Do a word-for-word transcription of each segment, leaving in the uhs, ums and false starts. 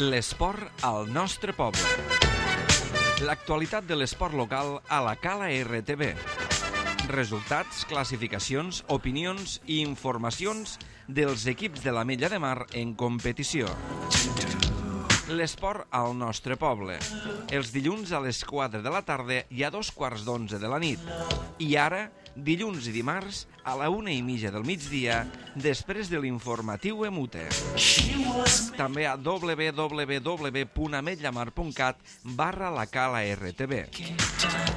L'esport al nostre poble. L'actualitat de l'esport local a la Cala R T V. Resultats, classificacions, opinions i informacions dels equips de l'Ametlla de Mar en competició. L'esport al nostre poble. Els dilluns a les quatre de la tarda i a dos quarts d'onze de la nit. I ara, dilluns i dimarts, a la una i mitja del migdia, després de l'informatiu Emute. També a w w w punt ametllamar punt cat barra la Cala R T V.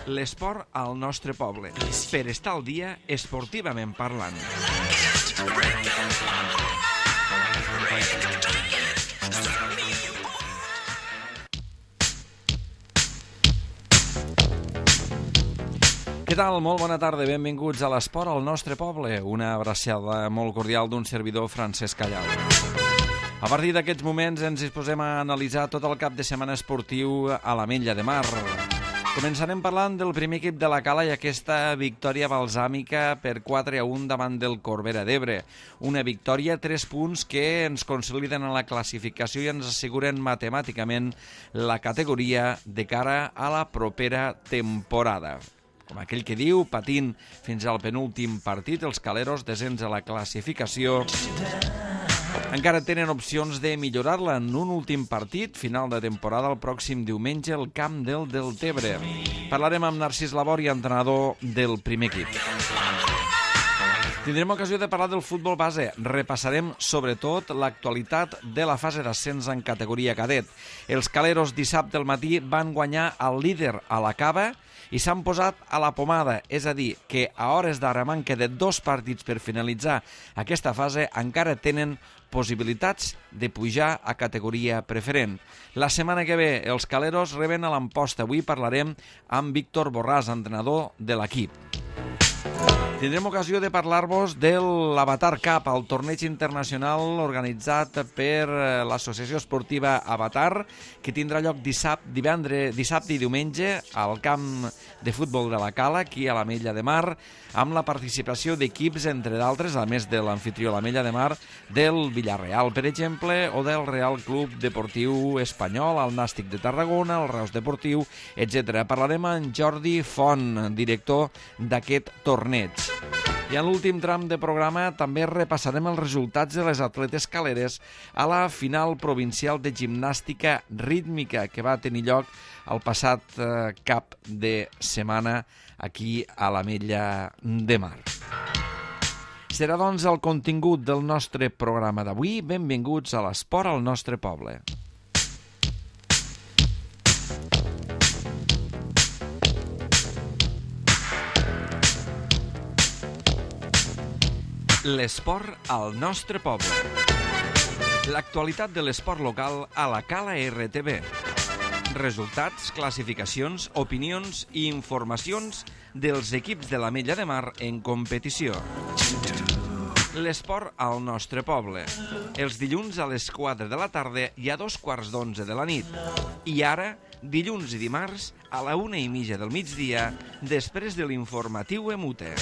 L'esport al nostre poble. Per estar al dia, esportivament parlant. Què tal? Molt bona tarda, benvinguts a l'Esport al nostre poble. Una abraçada molt cordial d'un servidor, Francesc Callau. A partir d'aquests moments ens disposem a analitzar tot el cap de setmana esportiu a l'Ametlla de Mar. Començarem parlant del primer equip de la Cala i aquesta victòria balsàmica per quatre a un davant del Corbera d'Ebre. Una victòria, tres punts que ens consoliden en la classificació i ens asseguren matemàticament la categoria de cara a la propera temporada. Com aquell que diu, patint fins al penúltim partit, els caleros descens a la classificació encara tenen opcions de millorar-la en un últim partit, final de temporada el pròxim diumenge al camp del Deltebre. Parlarem amb Narcís Labori, entrenador del primer equip. Tindrem ocasió de parlar del futbol base. Repassarem sobretot l'actualitat de la fase d'ascens en categoria cadet. Els caleros dissabte al matí van guanyar el líder a la Cava i s'han posat a la pomada, és a dir, que a hores d'ara manca de dos partits per finalitzar aquesta fase encara tenen possibilitats de pujar a categoria preferent. La setmana que ve els caleros reben a l'Amposta. Avui parlarem amb Víctor Borràs, entrenador de l'equip. Tindrem ocasió de parlar-vos de l'Avatar Cup, el torneig internacional organitzat per l'Associació Esportiva Avatar, que tindrà lloc dissabte, divendres, dissabte i diumenge al camp de futbol de la Cala, aquí a l'Ametlla de Mar, amb la participació d'equips, entre d'altres, a més de l'anfitrió l'Ametlla de Mar, del Villarreal, per exemple, o del Real Club Deportiu Espanyol, el Nàstic de Tarragona, el Reus Deportiu, etcètera. Parlarem amb Jordi Font, director d'aquest torneig. I en l'últim tram de programa també repassarem els resultats de les atletes caleres a la final provincial de gimnàstica rítmica que va tenir lloc el passat eh, cap de setmana aquí a l'Ametlla de Mar. Serà doncs el contingut del nostre programa d'avui. Benvinguts a l'Esport al nostre poble. L'esport al nostre poble. L'actualitat de l'esport local a la Cala R T V. Resultats, classificacions, opinions i informacions dels equips de l'Ametlla de Mar en competició. L'esport al nostre poble. Els dilluns a les quatre de la tarda i a dos quarts d'onze de la nit. I ara, dilluns i dimarts, a la una i mitja del migdia, després de l'informatiu Emute.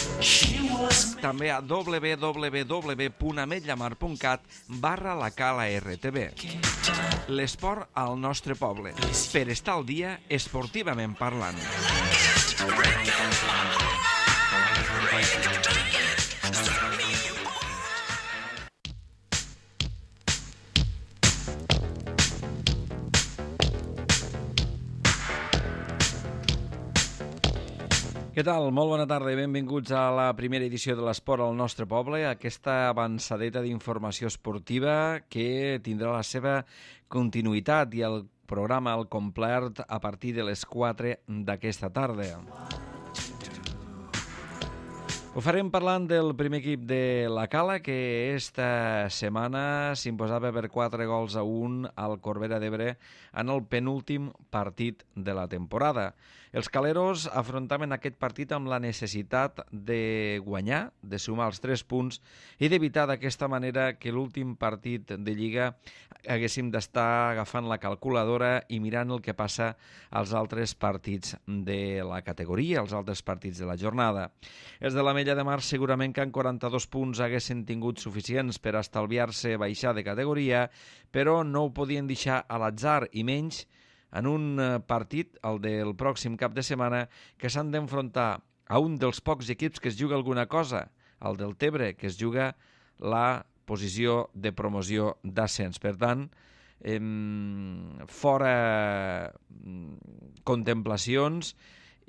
També a w w w punt ametllamar punt cat barra la Cala R T V. L'esport al nostre poble. Per estar al dia, esportivament parlant. Què tal? Molt bona tarda i benvinguts a la primera edició de l'Esport al nostre poble, aquesta avançadeta d'informació esportiva que tindrà la seva continuïtat i el programa al complet a partir de les quatre d'aquesta tarda. Ho farem parlant del primer equip de la Cala, que esta setmana s'imposava per quatre gols a un al Corbera d'Ebre en el penúltim partit de la temporada. Els caleros afrontaven aquest partit amb la necessitat de guanyar, de sumar els tres punts i d'evitar d'aquesta manera que l'últim partit de Lliga haguéssim d'estar agafant la calculadora i mirant el que passa als altres partits de la categoria, als altres partits de la jornada. Els de la l'Ametlla de Mar segurament que en quaranta-dos punts haguessin tingut suficients per estalviar-se baixar de categoria, però no ho podien deixar a l'atzar, i menys en un partit, el del pròxim cap de setmana, que s'han d'enfrontar a un dels pocs equips que es juga alguna cosa, el del Tebre, que es juga la posició de promoció d'ascens. Per tant, eh, fora contemplacions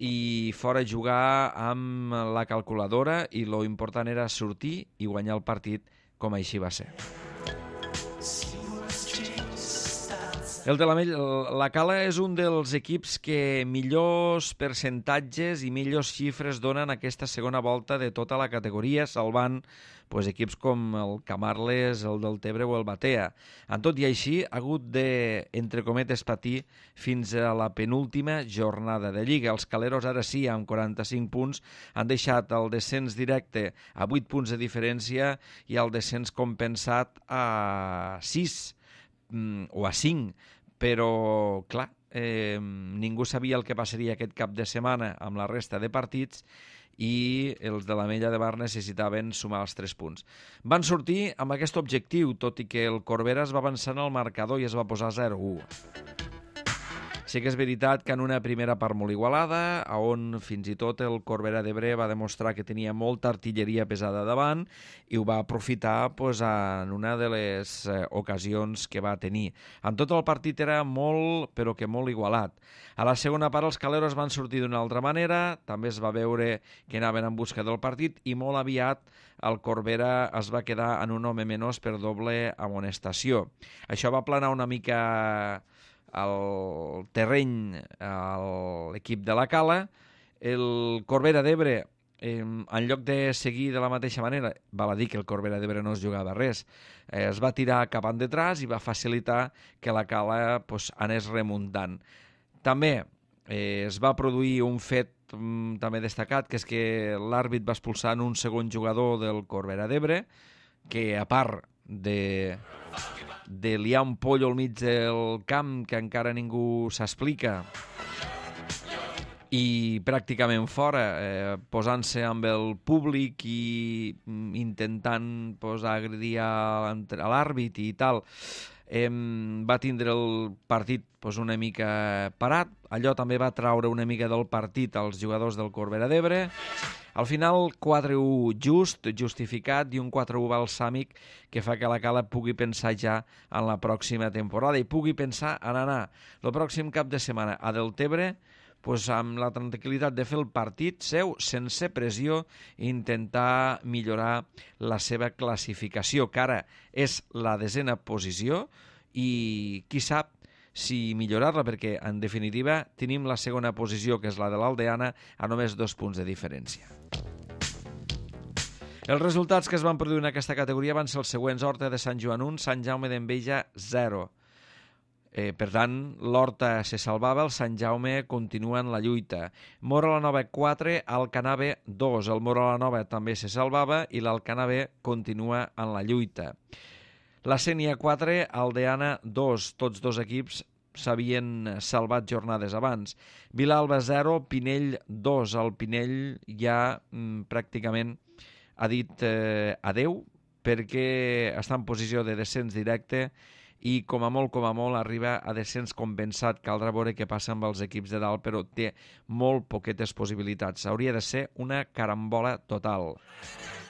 i fora jugar amb la calculadora, i lo important era sortir i guanyar el partit, com així va ser. El de la, la Cala és un dels equips que millors percentatges i millors xifres donen aquesta segona volta de tota la categoria, salvant pues, equips com el Camarles, el del Tebre o el Batea. En tot i així, ha hagut de, entre cometes, patir fins a la penúltima jornada de Lliga. Els caleros, ara sí, amb quaranta-cinc punts, han deixat el descens directe a vuit punts de diferència i el descens compensat a sis o a cinc, però clar, eh, ningú sabia el que passaria aquest cap de setmana amb la resta de partits i els de l'Ametlla de Mar necessitaven sumar els tres punts. Van sortir amb aquest objectiu, tot i que el Corbera es va avançar en el marcador i es va posar zero a u. Sí que és veritat que en una primera part molt igualada, on fins i tot el Corbera d'Ebre va demostrar que tenia molta artilleria pesada davant i ho va aprofitar pues, en una de les eh, ocasions que va tenir. En tot el partit era molt, però que molt igualat. A la segona part els caleros van sortir d'una altra manera, també es va veure que anaven en busca del partit i molt aviat el Corbera es va quedar en un home menys per doble amonestació. Això va aplanar una mica el terreny a l'equip de la Cala. El Corbera d'Ebre, eh, en lloc de seguir de la mateixa manera, val a dir que el Corbera d'Ebre no es jugava res, eh, es va tirar cap endetrás i va facilitar que la Cala pues, anés remuntant. També eh, es va produir un fet mm, també destacat, que és que l'àrbit va expulsar en un segon jugador del Corbera d'Ebre, que a part de... de liar un pollo al mig del camp que encara ningú s'explica i pràcticament fora, eh, posant-se amb el públic i intentant pues, agredir a, a l'àrbit i tal, eh, va tindre el partit pues, una mica parat. Allò també va traure una mica del partit als jugadors del Corbera d'Ebre. Al final, quatre a u just, justificat, i un quatre a u balsàmic que fa que la Cala pugui pensar ja en la pròxima temporada i pugui pensar en anar el pròxim cap de setmana a Deltebre pues, amb la tranquil·litat de fer el partit seu sense pressió i intentar millorar la seva classificació, que ara és la desena posició i qui sap si millorar-la, perquè en definitiva tenim la segona posició, que és la de l'Aldeana, a només dos punts de diferència. Els resultats que es van produir en aquesta categoria van ser els següents: Horta de Sant Joan un, Sant Jaume d'Enveja zero. Eh, per tant, l'Horta se salvava, el Sant Jaume continua en la lluita. Mora la Nova quatre, Alcanave dos. El Mora la Nova també se salvava i l'Alcanave continua en la lluita. La Sénia quatre, Aldeana dos. Tots dos equips s'havien salvat jornades abans. Vilalba zero, Pinell dos. El Pinell ja mm, pràcticament ha dit eh, adeu perquè està en posició de descens directe i com a molt, com a molt, arriba a descens compensat. Caldrà veure què passa amb els equips de dalt, però té molt poquetes possibilitats. Hauria de ser una carambola total.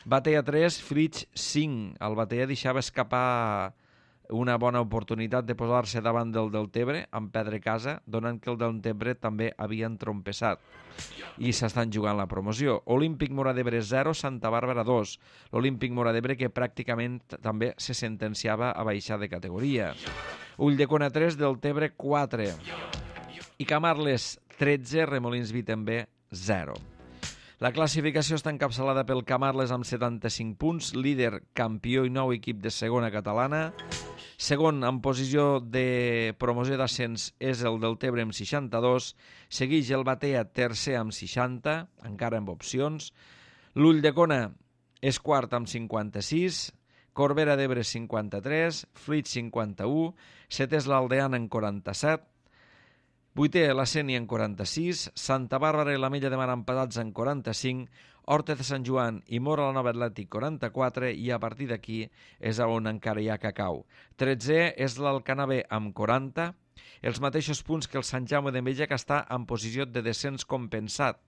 Batea tres, Flix cinc. El Batea deixava escapar una bona oportunitat de posar-se davant del Deltebre amb Pedre Casa, donant que el Deltebre també havia entrompessat i s'estan jugant la promoció. Olímpic Móra d'Ebre zero, Santa Bàrbara dos. L'Olímpic Móra d'Ebre que pràcticament també se sentenciava a baixar de categoria. Ulldecona tres, Deltebre quatre. I Camarles tretze, Remolins Vitember zero. La classificació està encapçalada pel Camarles amb setanta-cinc punts, líder, campió i nou equip de segona catalana. Segon, en posició de promoció d'ascens, és el Deltebre amb seixanta-dos. Segueix el Batea, tercer amb seixanta, encara amb opcions. L'Ulldecona és quart amb cinquanta-sis. Corbera d'Ebre cinquanta-tres. Flix cinquanta-u. Setè és l'Aldeana en quaranta-set. Vuitè, la Sénia en quaranta-sis, Santa Bàrbara i l'Ametlla de Mar empatats en quaranta-cinc, Horta de Sant Joan i Mora la Nova Atlètic quaranta-quatre, i a partir d'aquí és on encara hi ha cacau. tretzè és l'Alcanavè amb quaranta, els mateixos punts que el Sant Jaume d'Enveja, que està en posició de descens compensat.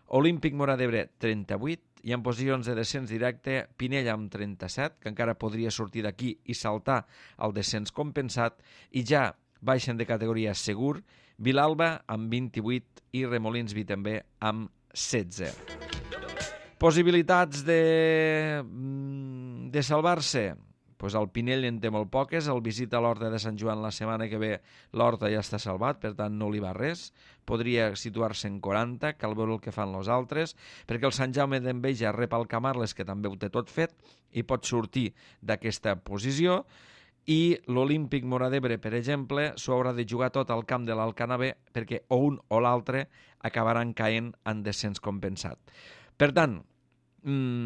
Olímpic Móra d'Ebre, trenta-vuit, i en posicions de descens directe Pinell amb trenta-set, que encara podria sortir d'aquí i saltar al descens compensat, i ja baixen de categoria segur Vilalba amb vint-i-vuit i Remolins Vi també amb setze. Possibilitats de, de salvar-se? Pues el Pinell en té molt poques, el visita a l'Horta de Sant Joan la setmana que ve, l'Horta ja està salvat, per tant no li va res, podria situar-se en quaranta, cal veure el que fan els altres, perquè el Sant Jaume d'Enveja rep el Camarles, que també ho té tot fet, i pot sortir d'aquesta posició, i l'Olímpic Móra d'Ebre, per exemple, s'ho haurà de jugar tot al camp de l'Alcanavè, perquè o un o l'altre acabaran caent en descens compensat. Per tant,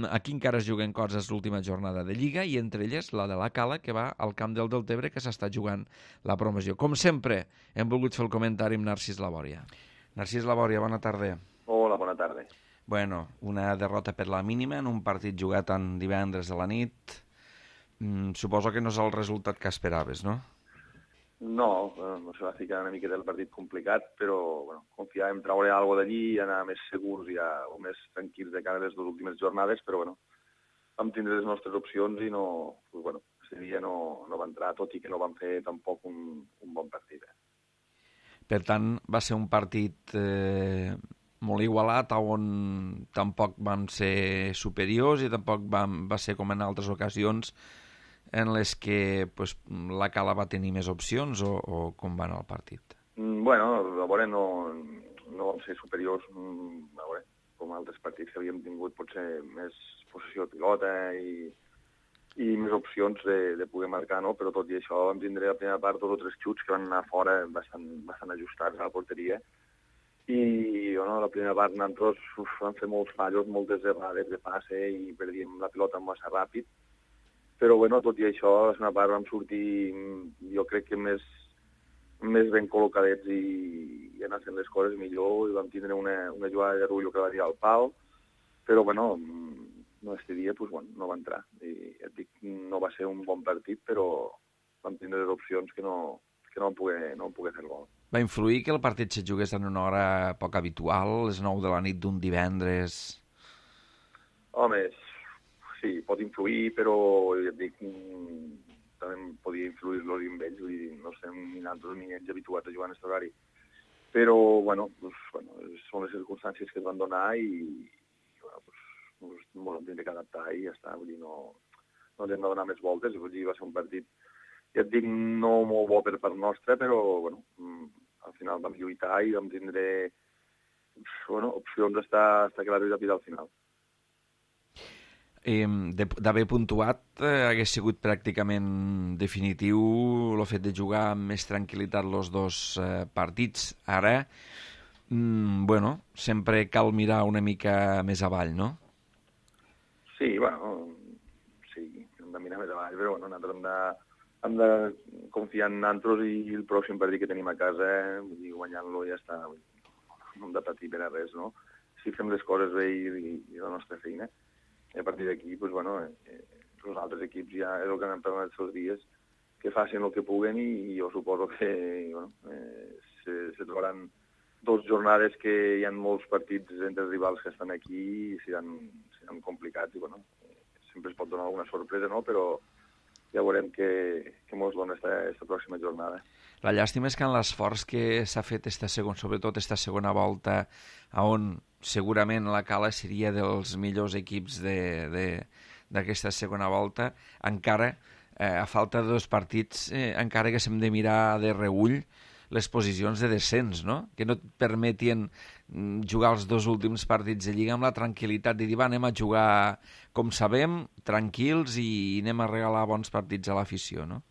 aquí encara es juguen coses l'última jornada de Lliga, i entre elles la de la Cala, que va al camp del Deltebre, que s'està jugant la promoció. Com sempre, hem volgut fer el comentari amb Narcís Labòria. Narcís Labòria, bona tarda. Hola, bona tarda. Bueno, una derrota per la mínima en un partit jugat en divendres a la nit. Mm, suposo que no és el resultat que esperaves, no? No, no se va ficar una mica del partit complicat, però bueno, confiàvem en treure alguna cosa d'allí i anar més segurs ja, o més tranquils de cara a les dues últimes jornades, però bueno, vam tindre les nostres opcions i no, pues, bueno, aquest dia no, no va entrar, tot i que no vam fer tampoc un, un bon partit. Eh? Per tant, va ser un partit eh, molt igualat, on tampoc van ser superiors i tampoc van, va ser com en altres ocasions en les que pues, la Cala va tenir més opcions, o, o com va anar el partit? Mm, bueno, a veure, no, no vam ser superiors, mm, a veure, com altres partits que havíem tingut potser més possessió de pilota i, i més opcions de, de poder marcar, no? Però tot i això vam tindre la primera part dos o tres xuts que van anar fora bastant, bastant ajustats a la porteria, i bueno, la primera part nosaltres uf, vam fer molts fallos, moltes errades de passe i perdíem la pilota massa ràpid. Però, bueno, tot i això, a la segona part vam sortir, jo crec que més, més ben col·locadets i, i anar fent les coses millor, i vam tindre una, una jugada de Rullo que va dir al pal, però, bueno, no este dia, pues, bueno, no va entrar. I et dic, no va ser un bon partit, però vam tindre les opcions que no, que no vam poder, no vam poder fer el gol. Va influir que el partit se jugués en una hora poc habitual, les nou de la nit d'un divendres? Home, sí, pot influir, però ja et dic, també podia influir los amb ells, vull dir, no estem ni nosaltres ni ells habituats a jugar en aquest horari. Però, bueno, pues, bueno, són les circumstàncies que es van donar i, i bueno, pues, pues, ens hem de adaptar i ja està, vull dir, no, no ens hem de donar més voltes, vull dir, va ser un partit, ja et dic, no molt bo per part nostra, però, bueno, al final vam lluitar i vam tindre, bueno, opcions d'estar que la lluita al final. D'haver puntuat, eh, hagués sigut pràcticament definitiu el fet de jugar amb més tranquil·litat els dos eh, partits. Ara, mm, bueno, sempre cal mirar una mica més avall, no? Sí, bueno, sí, hem de mirar més avall, però bueno, nosaltres hem de, hem de confiar en nosaltres i el pròxim partit que tenim a casa, vull dir, guanyant-lo ja està, no hem de patir per a res, no? Si fem les coses bé i, i, i la nostra feina, i a partir d'aquí, doncs, bueno, eh, els altres equips ja és el que han parlat els dies, que facin el que puguen i, i jo suposo que bueno, eh, se, se trobaran dos jornades que hi ha molts partits entre els rivals que estan aquí i seran, seran complicats i bueno, eh, sempre es pot donar alguna sorpresa, no? Però ja veurem què, què ens dona aquesta pròxima jornada. La llàstima és que en l'esforç que s'ha fet esta segon, sobretot esta segona volta, on segurament la Cala seria dels millors equips d'aquesta segona volta, encara, eh, a falta de dos partits, eh, encara que s'hem de mirar de reull les posicions de descens, no? Que no et permetien jugar els dos últims partits de Lliga amb la tranquil·litat de dir, va, anem a jugar com sabem, tranquils, i anem a regalar bons partits a l'afició, no?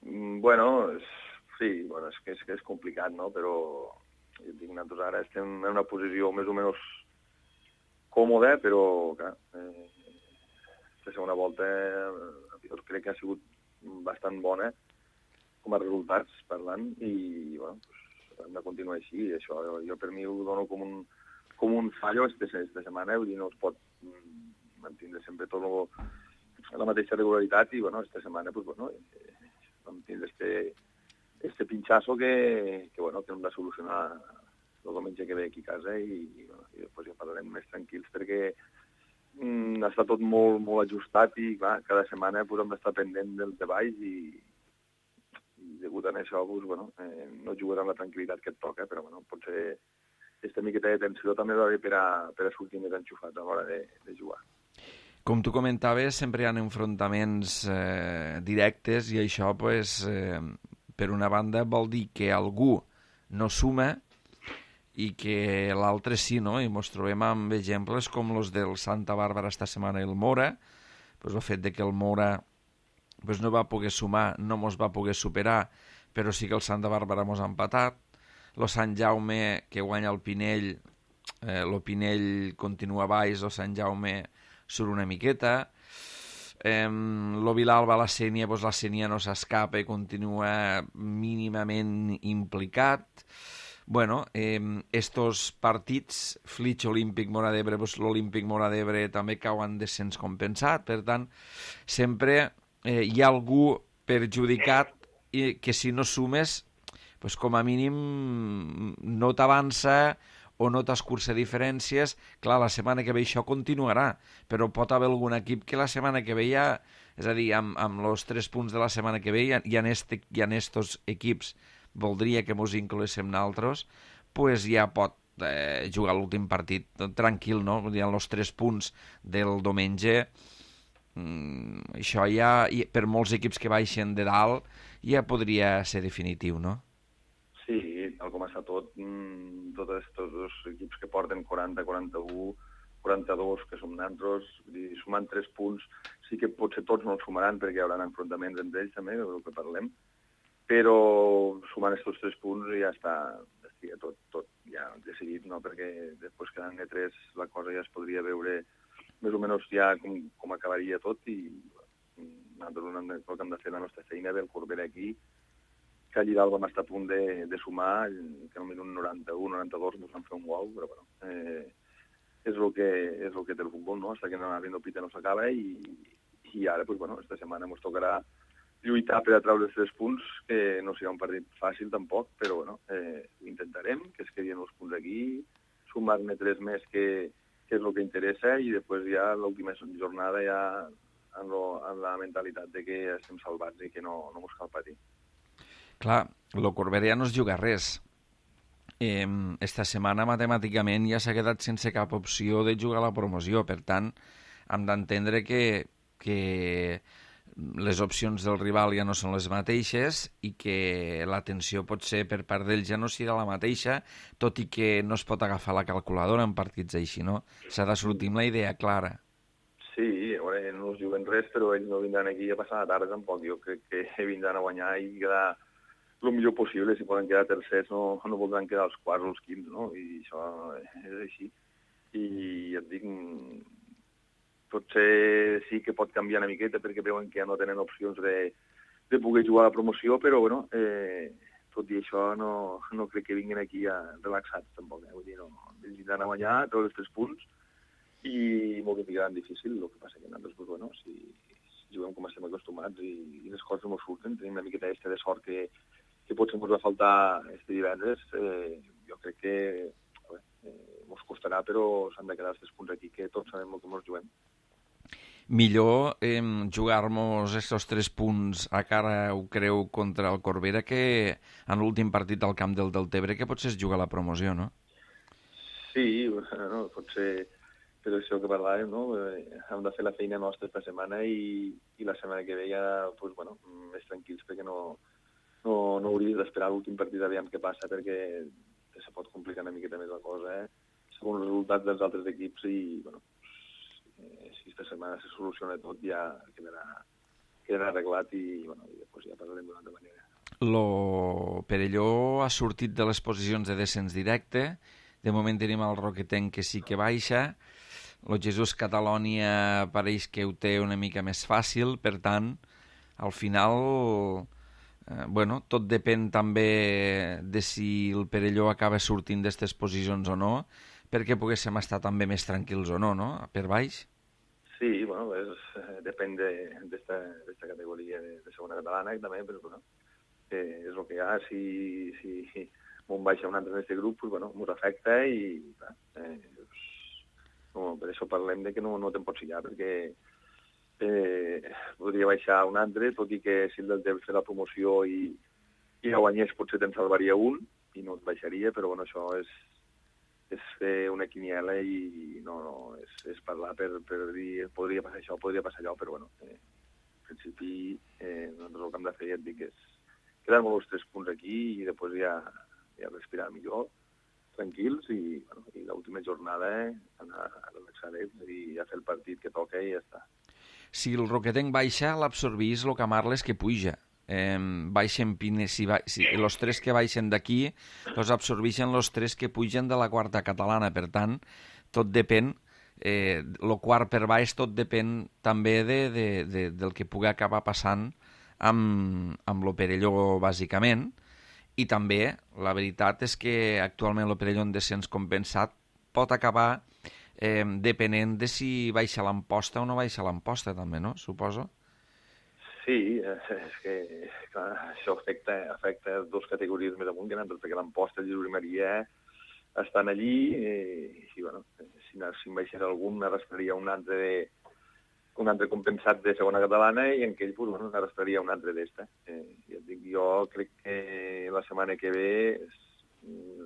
Bueno, sí, bueno, és que és, que és complicat, no? Però jo dic, nosaltres ara estem en una posició més o menys còmoda, però clar, eh, la segona volta eh, jo crec que ha sigut bastant bona com a resultats parlant i bueno, pues, hem de continuar així. Això jo, jo per mi ho dono com un, com un fallo esta, esta setmana, vull dir, no es pot mantenir sempre tot lo, la mateixa regularitat i, bueno, esta setmana, pues, bueno, eh, vam tindre este, este pinxasso que, que, bueno, que hem de solucionar el diumenge que ve aquí a casa i, i, bueno, i després ja parlarem més tranquils perquè mm, està tot molt, molt ajustat i, clar, cada setmana pues, hem d'estar pendent dels de baix i, i degut a això, pues, bueno, eh, no jugarà amb la tranquil·litat que et toca, però, bueno, potser aquesta miqueta de tensió també va bé per a, per a sortir més enxufat a l'hora de, de jugar. Com tu comentaves, sempre hi ha enfrontaments eh, directes i això, pues, eh, per una banda, vol dir que algú no suma i que l'altre sí, no? I ens trobem amb exemples com els del Santa Bàrbara esta setmana i el Mora, pues, el fet de que el Mora pues, no va poder sumar, no ens va poder superar, però sí que el Santa Bàrbara ens ha empatat. El Sant Jaume, que guanya el Pinell, eh, el Pinell continua baix, el Sant Jaume surt una miqueta. Eh, el Vilalba, la Sénia, doncs la Sénia no s'escapa i continua mínimament implicat. Bueno, eh, estos partits, Flix, Olímpic, Móra d'Ebre, doncs l'Olímpic Móra d'Ebre també cauen descens compensat, per tant, sempre eh, hi ha algú perjudicat i que si no sumes, pues com a mínim no t'avança o no t'escurça diferències. Clar, la setmana que ve això continuarà, però pot haver algun equip que la setmana que ve ja, és a dir, amb, amb els tres punts de la setmana que ve hi ha, hi ha, este, hi ha estos equips, voldria que mos incloguéssim naltros, pues ja pot eh, jugar l'últim partit tranquil, no? Hi ha els tres punts del diumenge. Mm, això ja, per molts equips que baixen de dalt, ja podria ser definitiu, no? Sí, tal com està tot, mmm, tots aquests dos equips que porten quaranta, quaranta-u, quaranta-dos, que som nantros, sumant tres punts, sí que potser tots no els sumaran perquè hi haurà enfrontaments entre ells també, del que parlem, però sumant aquests tres punts ja està, ja tot, tot ja decidit, no? Perquè després quedant de tres la cosa ja es podria veure més o menys ja com, com acabaria tot i nosaltres hem de, el que hem de fer la nostra feina del Corbera aquí, que allí dalt vam estar a punt de, de sumar, que en el minut noranta-u, noranta-dos ens van fer un gol, però bueno, eh, és el que és el que té el futbol, no? Hasta que no arriba el pita no s'acaba i, i ara, pues, bueno, esta setmana ens tocarà lluitar per a treure els tres punts, que no serà un partit fàcil tampoc, però bueno, eh, ho intentarem, que es quedin els punts aquí, sumar-ne tres més que, que és el que interessa i després ja l'última jornada ja amb, lo, amb la mentalitat de que estem salvats i que no, no ens cal patir. Clar, el Corbera ja no es juga res. Eh, esta setmana matemàticament ja s'ha quedat sense cap opció de jugar a la promoció, per tant hem d'entendre que, que les opcions del rival ja no són les mateixes i que l'atenció potser per part d'ells ja no serà la mateixa, tot i que no es pot agafar la calculadora en partits així, no? S'ha de sortir amb la idea clara. Sí, a veure, no es juguen res, però ells no vindran aquí a passar la tarda tampoc. Jo crec que vindran a guanyar i quedar el millor possible. Si poden quedar tercers no, no voldran quedar els quarts o els quints, no? I això és així. I ja et dic, potser sí que pot canviar una miqueta perquè veuen que ja no tenen opcions de, de poder jugar a la promoció, però bueno, eh, tot i això no, no crec que vinguin aquí a relaxats tampoc. Eh? Vull dir, no, ells vindran a guanyar tots els tres punts i molt que ficaran difícil. El que passa que nosaltres, pues, bueno, si, si juguem com estem acostumats i, i les coses no surten, tenim una miqueta de sort que que potser ens va faltar este divendres, eh, jo crec que bé, eh, ens costarà, però s'han de quedar els tres punts aquí, que tots sabem el que ens juguem. Millor eh, jugar-nos aquests tres punts a cara, ho creu, contra el Corbera que en l'últim partit al camp del Deltebre, que potser es juga la promoció, no? Sí, bueno, potser per això que parlàvem, no? Eh, hem de fer la feina nostra esta setmana i, i la setmana que ve ja, pues, bueno, més tranquils, perquè no No, no hauries d'esperar l'últim partit a veure què passa perquè se pot complicar una miqueta més la cosa, eh? Segons els resultats dels altres equips i, bueno, eh, si aquesta setmana se soluciona tot ja quedarà, quedarà arreglat i, bueno, i després ja parlarem d'una altra manera. Lo Perelló ha sortit de les posicions de descens directe. De moment tenim el Roquetenc que sí que baixa. Lo Jesús Catalònia pareix que ho té una mica més fàcil, per tant, al final Eh, bueno, tot depèn també de si el Perelló acaba sortint d'aquestes posicions o no, perquè poguéssim estar també més tranquils o no, no? Per baix. Sí, bueno, és, eh, depèn d'esta de, categoria de, de segona catalana també, però bueno, eh, és el que hi ha. Si, si m'on baixa un altre en aquest grup, pues, bueno, m'ho afecta i clar, eh, pues, no, per això parlem de que no, no te'n pots fiar, perquè eh, podria baixar un altre, tot i que si el del temps fer la promoció i, i la guanyés potser te'n salvaria un i no et baixaria, però bueno, això és, és fer una quiniela i no, no és, és parlar per, per dir podria passar això, podria passar allò, però bueno, eh, en principi eh, nosaltres el que hem de fer, ja et dic, és quedar-nos els tres punts aquí i després ja, ja respirar millor, tranquils, i, bueno, i l'última jornada eh, anar a relaxar-nos i a fer el partit que toca i ja està. Si el Roquetenc baixa, l'absorbís el Camarles que puja. Eh, baixen Pines, si, ba si els tres que baixen d'aquí els absorbeixen els tres que pugen de la quarta catalana. Per tant, tot depèn, eh, el quart per baix tot depèn també de, de, de, del que pugui acabar passant amb, amb el Perelló, bàsicament. I també, la veritat és que actualment el Perelló en descens compensat pot acabar eh, depenent de si baixa l'Amposta o no baixa l'Amposta, també, no? Suposo. Sí, és que clar, això afecta, afecta dues categories més amunt que nosaltres, perquè l'Amposta i el Lliure Maria estan allí eh, i, bueno, si, si en baixés algun, arrastraria un altre de un altre compensat de segona catalana i en aquell, pues, bueno, arrastraria un altre d'esta. Eh, ja et dic, jo crec que la setmana que ve es,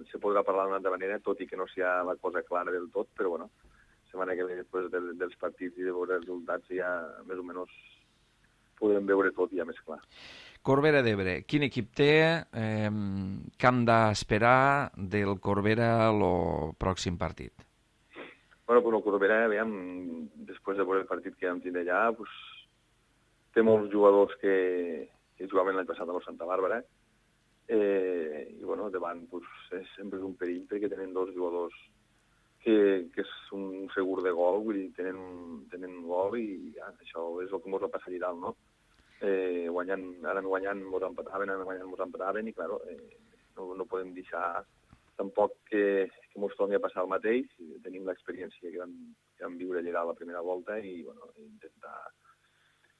se podrà parlar d'una altra manera, tot i que no sigui la cosa clara del tot, però bueno, la setmana que ve, després del, dels partits i de veure els resultats, ja més o menys podrem veure tot ja més clar. Corbera d'Ebre, quin equip té? Eh, què hem d'esperar del Corbera el pròxim partit? Bueno, pues el Corbera, veiem, després de veure el partit que vam tindre allà, pues, té molts jugadors que, que jugaven l'any passat a la Santa Bàrbara, eh, i bueno, davant pues, és sempre un perill perquè tenen dos jugadors que, que és un segur de gol, vull dir, tenen, tenen gol i ja, això és el que ens va passar allà dalt, no? Eh, guanyant, ara guanyant ens empataven, ara guanyant ens empataven i, clar, eh, no, no podem deixar tampoc que, que ens torni a passar el mateix. Tenim l'experiència que vam, que vam viure allà la primera volta i bueno, intentar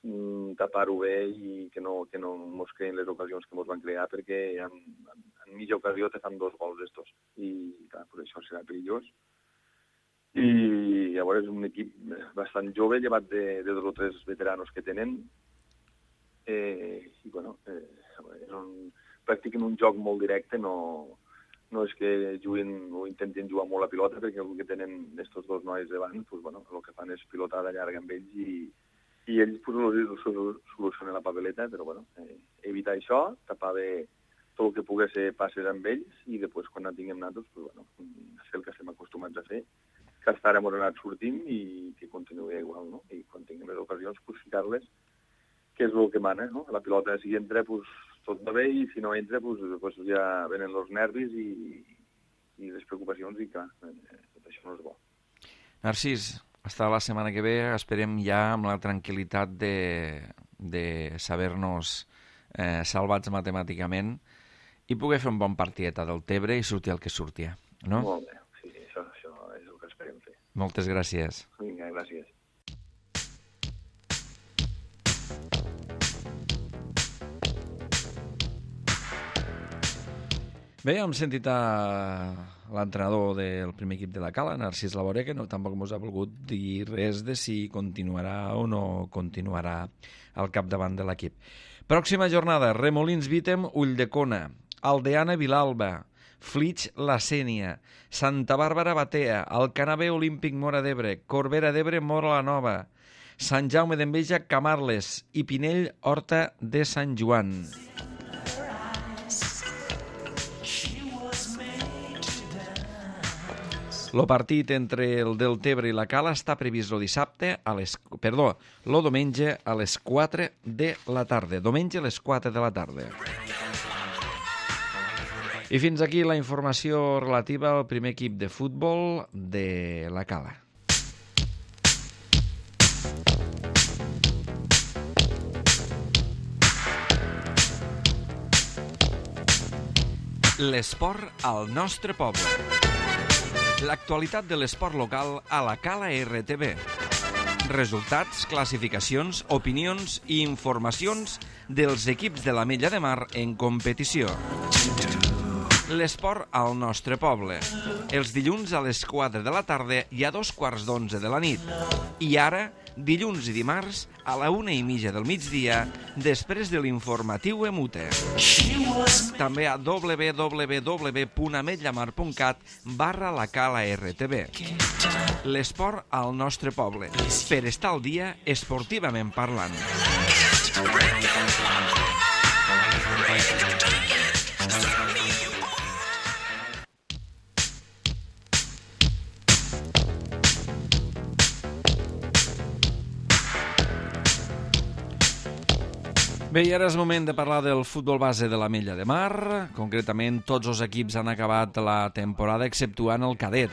mm, tapar-ho bé i que no, que no ens creen les ocasions que ens van crear, perquè en, en, en mitja ocasió te fan dos gols d'estos i clar, per això serà perillós. I llavors és un equip bastant jove, llevat de, de dos o tres veteranos que tenen, eh, i bueno, eh, és un, practiquen un joc molt directe, no... No és que juguin o intentin jugar molt a pilota, perquè el que tenen estos dos nois davant, pues, bueno, el que fan és pilotada llarga amb ells i, i ells pues, solucionen la papeleta, però bueno, eh, evitar això, tapar bé tot el que pugui ser passes amb ells i després quan en tinguem nosaltres, pues, bueno, fer el que estem acostumats a fer, que hasta ara hem anat sortint i que continuï igual, no? I quan tinguem les ocasions, pues, ficar-les, que és el que mana, no? La pilota, si entra, pues, tot va bé, i si no entra, pues, pues ja venen els nervis i, i les preocupacions i, clar, tot això no és bo. Narcís, hasta la setmana que ve esperem ja amb la tranquil·litat de, de saber-nos eh, salvats matemàticament i poder fer un bon partieta del Tebre i sortir el que sortia, no? Molt bé, sí, això, això és el que esperem fer. Moltes gràcies. Vinga, gràcies. Bé, hem sentit a l'entrenador del primer equip de la Cala, Narcís Laboré, que no, tampoc ens ha volgut dir res de si continuarà o no continuarà al capdavant de l'equip. Pròxima jornada, Remolins Vítem, Ulldecona, Aldeana Vilalba, Flix La Sénia, Santa Bàrbara Batea, Alcanavè Olímpic Móra d'Ebre, Corbera d'Ebre Móra la Nova, Sant Jaume d'Enveja Camarles i Pinell Horta de Sant Joan. El partit entre el Deltebre i la Cala està previst el dissabte a les... Perdó, el diumenge a les quatre de la tarda. Diumenge a les quatre de la tarda. I fins aquí la informació relativa al primer equip de futbol de la Cala. L'esport al nostre poble. L'actualitat de l'esport local a la Cala R T B. Resultats, classificacions, opinions i informacions dels equips de l'Ametlla de Mar en competició. L'esport al nostre poble. Els dilluns a les quatre de la tarda i a dos quarts d'onze de la nit. I ara, dilluns i dimarts, a la una i mitja del migdia, després de l'informatiu Emute. També a w w w punt ametllamar punt cat barra la Cala R T B. L'esport al nostre poble, per estar al dia esportivament parlant. Bé, i ara és moment de parlar del futbol base de l'Ametlla de Mar. Concretament, tots els equips han acabat la temporada, exceptuant el cadet.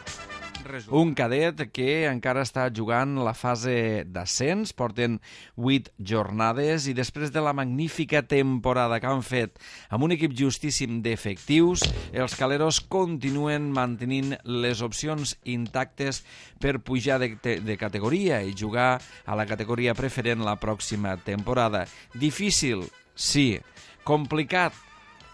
Un cadet que encara està jugant la fase d'ascens, porten vuit jornades i després de la magnífica temporada que han fet amb un equip justíssim d'efectius, els caleros continuen mantenint les opcions intactes per pujar de, de categoria i jugar a la categoria preferent la pròxima temporada. Difícil, sí. Complicat,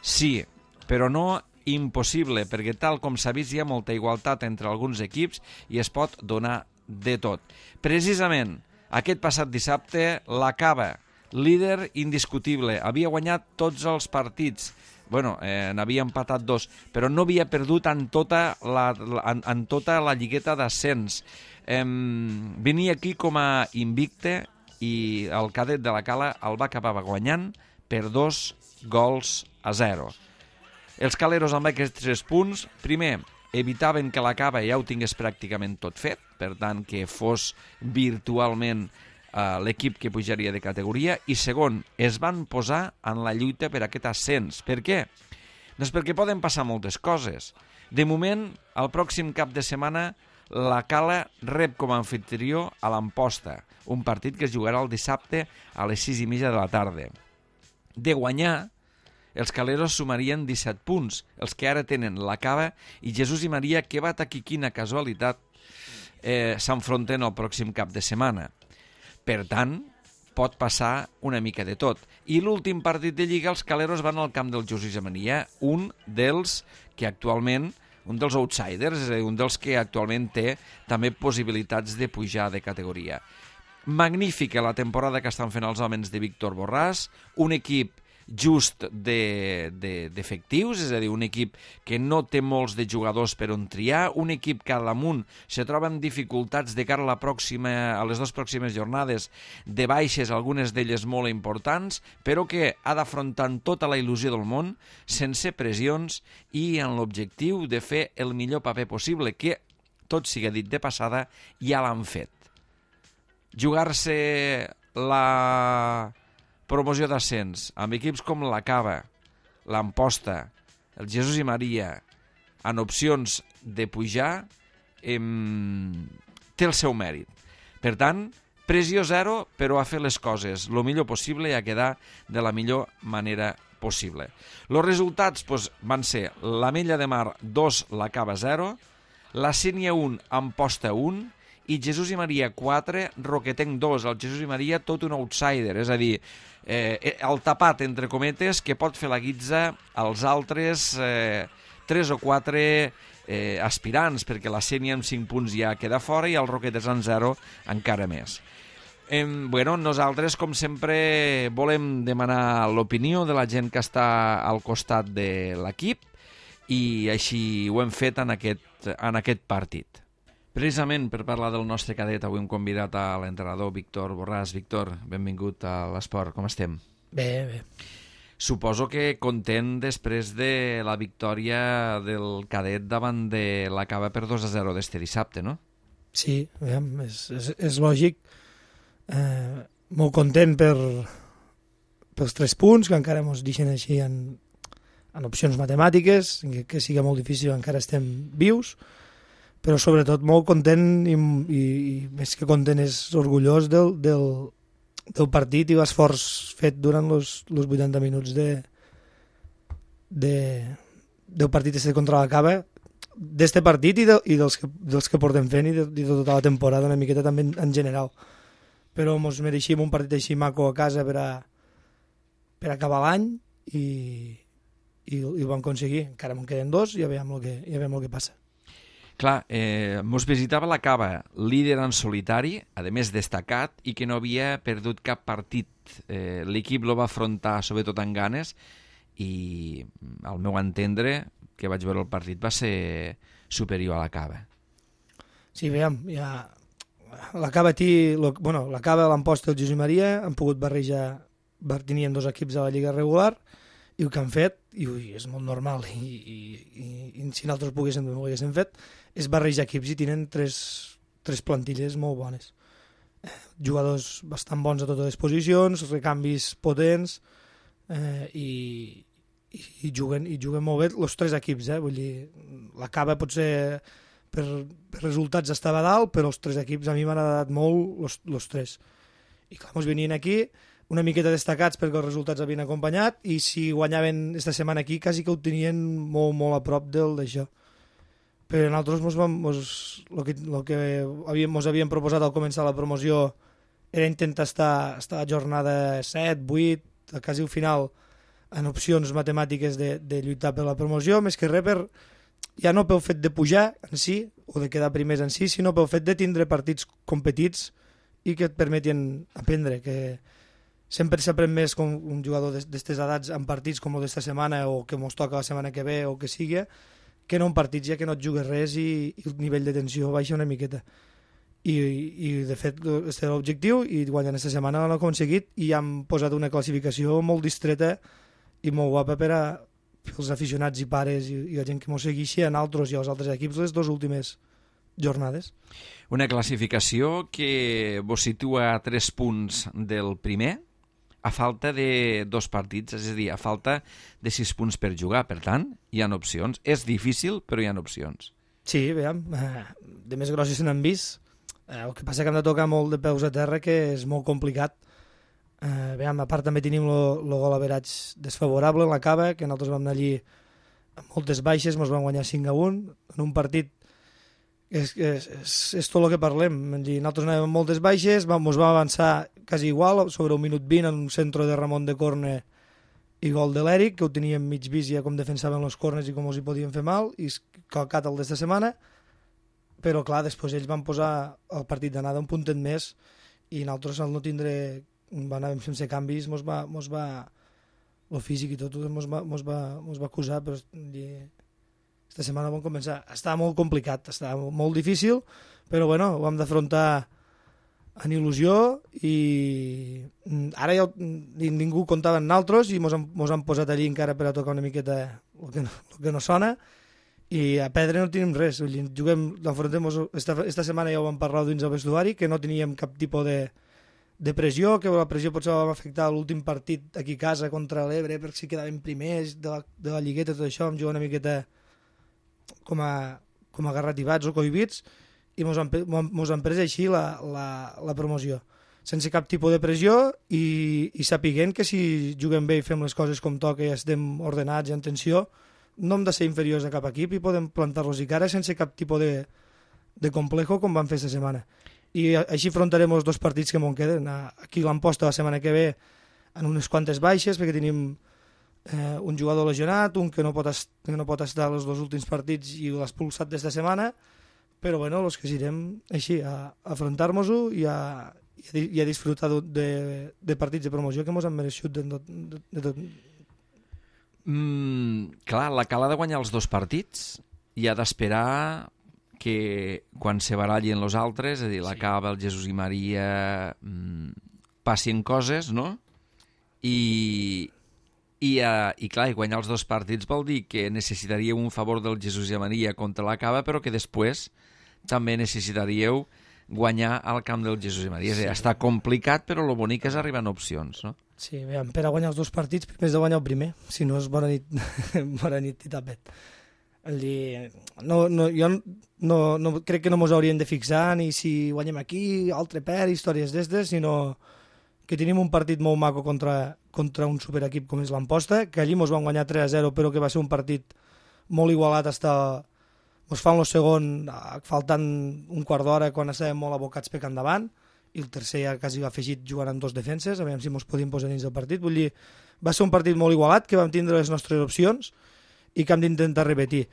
sí, però no impossible, perquè tal com s'ha vist hi ha molta igualtat entre alguns equips i es pot donar de tot. Precisament, aquest passat dissabte, la Cava, líder indiscutible, havia guanyat tots els partits, bueno, eh, n'havia empatat dos, però no havia perdut en tota la, en, en tota la lligueta d'ascens. Eh, venia aquí com a invicte i el cadet de la Cala el va acabar guanyant per dos gols a zero. Els caleros amb aquests tres punts, primer, evitaven que la Cava ja ho tingués pràcticament tot fet, per tant, que fos virtualment eh, l'equip que pujaria de categoria, i segon, es van posar en la lluita per aquest ascens. Per què? Doncs perquè poden passar moltes coses. De moment, el pròxim cap de setmana, la Cala rep com a anfitrió a l'Amposta, un partit que es jugarà el dissabte a les sis i mitja de la tarda. De guanyar, els caleros sumarien disset punts, els que ara tenen la Cava i Jesús i Maria, que va taquir quina casualitat, eh, s'enfronten el pròxim cap de setmana. Per tant, pot passar una mica de tot. I l'últim partit de Lliga, els caleros van al camp del Jesús i Maria, un dels que actualment, un dels outsiders, és a dir, un dels que actualment té també possibilitats de pujar de categoria. Magnífica la temporada que estan fent els homes de Víctor Borràs, un equip just d'efectius, de, de, és a dir, un equip que no té molts de jugadors per on triar, un equip que a damunt se troba amb dificultats de cara a, la pròxima, a les dues pròximes jornades de baixes, algunes d'elles molt importants, però que ha d'afrontar tota la il·lusió del món, sense pressions i amb l'objectiu de fer el millor paper possible, que, tot sigui dit de passada, ja l'han fet. Jugar-se la promoció d'ascens amb equips com la Cava, l'Amposta, el Jesús i Maria, en opcions de pujar, em... té el seu mèrit. Per tant, pressió zero, però a fer les coses el millor possible i a quedar de la millor manera possible. Els resultats doncs, van ser l'Ametlla de Mar dos, la Cava zero, la Sénia un, Amposta un, i Jesús i Maria quatre, Roquetenc dos. El Jesús i Maria tot un outsider, és a dir, eh, el tapat, entre cometes, que pot fer la guitza als altres eh, tres o quatre eh, aspirants, perquè la Sénia amb cinc punts ja queda fora i el Roquetes en zero encara més. Eh, bueno, nosaltres, com sempre, volem demanar l'opinió de la gent que està al costat de l'equip i així ho hem fet en aquest, en aquest partit. Precisament per parlar del nostre cadet, avui hem convidat a l'entrenador Víctor Borràs. Víctor, benvingut a l'esport, com estem? Bé, bé. Suposo que content després de la victòria del cadet davant de la Cava per dos a zero d'este dissabte, no? Sí, és, és, és lògic. Eh, molt content per, pels tres punts, que encara ens deixen així en, en opcions matemàtiques, que, que sigui molt difícil, encara estem vius, però sobretot molt content i, i, i més que content és orgullós del, del, del partit i l'esforç fet durant els vuitanta minuts de, de, del partit este contra la Cava, d'este partit i, de, i dels, que, dels que portem fent i de, i de tota la temporada una miqueta també en, en general. Però mos mereixíem un partit així maco a casa per a, per acabar l'any i, i, i ho vam aconseguir. Encara me'n queden dos i ja veiem el que, ja veiem el que passa. Clar, eh, mos visitava la Cava, líder en solitari, a més destacat, i que no havia perdut cap partit. Eh, L'equip lo va afrontar sobretot amb ganes i, al meu entendre, que vaig veure el partit, va ser superior a la Cava. Sí, veiem, ja... La Cava, tí, lo, bueno, la Cava, l'Amposta i el Josep Maria han pogut barrejar, tenien dos equips a la Lliga regular, i el que han fet, i ui, és molt normal, i, i, i, i si nosaltres poguéssim, ho haguéssim fet, és barrejar equips i tenen tres, tres plantilles molt bones. Eh, jugadors bastant bons a totes les posicions, recanvis potents, eh, i, i, i, juguen, i juguen molt bé els tres equips. Eh? Vull dir, la Cava potser per, per resultats estava dalt, però els tres equips a mi m'han agradat molt els tres. I clar, ens venien aquí una miqueta destacats perquè els resultats havien acompanyat i si guanyaven esta setmana aquí quasi que ho tenien molt, molt a prop del d'això. Però nosaltres mos vam, mos, lo que, lo que havíem, mos havíem proposat al començar la promoció era intentar estar, estar a jornada set, vuit, quasi al final en opcions matemàtiques de, de lluitar per la promoció, més que res per, ja no pel fet de pujar en si o de quedar primers en si, sinó pel fet de tindre partits competits i que et permetien aprendre, que sempre s'aprèn més com un jugador d'aquestes edats en partits com el d'esta setmana o que mos toca la setmana que ve o que sigui, que no en partits ja que no et jugues res i, i el nivell de tensió baixa una miqueta. I, i de fet, aquest era l'objectiu i guanyant aquesta setmana l'han aconseguit i han posat una classificació molt distreta i molt guapa per a els aficionats i pares i, i la gent que mos segueixi a nosaltres i als altres equips les dues últimes jornades. Una classificació que vos situa a tres punts del primer, a falta de dos partits, és a dir, a falta de sis punts per jugar. Per tant, hi ha opcions. És difícil, però hi ha opcions. Sí, veiem, de més grosses se n'han vist. El que passa que hem de tocar molt de peus a terra, que és molt complicat. Eh, veiem, a part també tenim el gol average desfavorable en la Cava, que nosaltres vam anar allí amb moltes baixes, ens vam guanyar cinc a un, en un partit és, és, és, és tot el que parlem. Nosaltres anàvem amb moltes baixes, ens vam avançar quasi igual, sobre un minut vint en un centre de Ramon de Corne i gol de l'Eric, que ho teníem mig vist ja com defensaven els corners i com els hi podien fer mal, i calcat el d'esta setmana, però clar, després ells van posar el partit d'anada un puntet més i nosaltres al no tindre, anàvem sense canvis, mos va, mos va el físic i tot, mos va, mos va, mos va acusar, però aquesta setmana vam començar. Estava molt complicat, estava molt difícil, però bueno, ho hem d'afrontar en il·lusió i ara ja ningú comptava amb nosaltres i mos han, mos han posat allí encara per a tocar una miqueta el que no, el que no sona i a perdre no tenim res. Juguem, l'enfrontem, esta, esta setmana ja ho vam parlar dins el vestuari, que no teníem cap tipus de, de pressió, que la pressió potser va afectar l'últim partit aquí a casa contra l'Ebre perquè si quedàvem primers de la, de la lligueta, tot això, vam jugar una miqueta com a, com a garrativats o cohibits i mos han, mos han pres així la, la, la promoció, sense cap tipus de pressió i, i sapiguent que si juguem bé i fem les coses com toca i estem ordenats i en tensió, no hem de ser inferiors a cap equip i podem plantar-los i cara sense cap tipus de, de complejo com vam fer aquesta setmana. I així afrontarem els dos partits que m'ho queden. Aquí l'Amposta la setmana que ve en unes quantes baixes perquè tenim eh, un jugador lesionat, un que no pot, est que no pot estar els dos últims partits i l'ha expulsat d'esta setmana, però bueno, els que irem així a, a afrontar-nos-ho i a, i a disfrutar de, de partits de promoció que ens han mereixut de, de, de tot. Mm, clar, la Cala ha de guanyar els dos partits i ha d'esperar que quan se barallin els altres, és a dir, la sí. Cava, el Jesús i Maria, mmm, passin coses, no? I, i, uh, i clar, i guanyar els dos partits vol dir que necessitaríeu un favor del Jesús i Maria contra la Cava, però que després també necessitaríeu guanyar al camp del Jesús i Maria. Sí. Està complicat, però el bonic és arribar en opcions, no? Sí, bé, per a guanyar els dos partits, primer has de guanyar el primer, si no és bona nit, bona nit i tapet. Dir, no, no, jo no, no, crec que no ens hauríem de fixar ni si guanyem aquí, altre per, històries d'estes, sinó que tenim un partit molt maco contra, contra un superequip com és l'Amposta, que allí ens van guanyar tres a zero, però que va ser un partit molt igualat està... Ens fa el segon faltant un quart d'hora quan estàvem molt abocats per endavant i el tercer ja quasi va afegit jugant amb dos defenses, a veure si ens podíem posar dins del partit. Vull dir, va ser un partit molt igualat, que vam tindre les nostres opcions i que hem d'intentar repetir.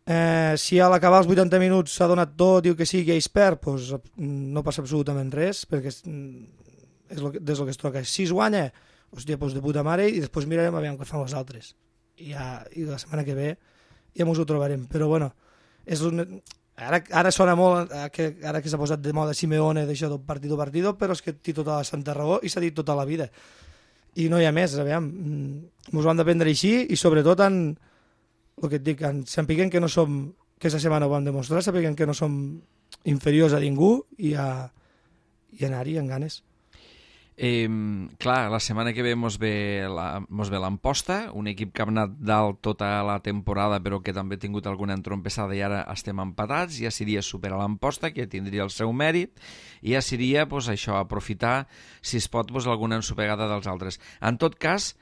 Eh, si a l'acabar els vuitanta minuts s'ha donat tot, diu que sí, que ells perd, doncs no passa absolutament res, perquè és, és lo que, des del que es toca. Si es guanya, hòstia, doncs de puta mare, i després mirarem a veure què fan els altres. I, ja, i la setmana que ve ja ens ho trobarem. Però bueno, és un... ara, ara sona molt, que, ara que s'ha posat de moda Simeone, d'això del partido partido, però és que té tota la santa raó i s'ha dit tota la vida. I no hi ha més, aviam, ens ho han de prendre així i sobretot en el que et dic, en sapiguem que no som, que aquesta setmana ho vam demostrar, sapiguem que no som inferiors a ningú i, a, i anar-hi amb ganes. Eh, clar, la setmana que ve mos ve la, mos ve l'Amposta, un equip que ha anat dalt tota la temporada però que també ha tingut alguna entrompessada i ara estem empatats. Ja seria superar l'Amposta, que tindria el seu mèrit, i ja seria pues, això, aprofitar, si es pot, pues, alguna ensopegada dels altres. En tot cas,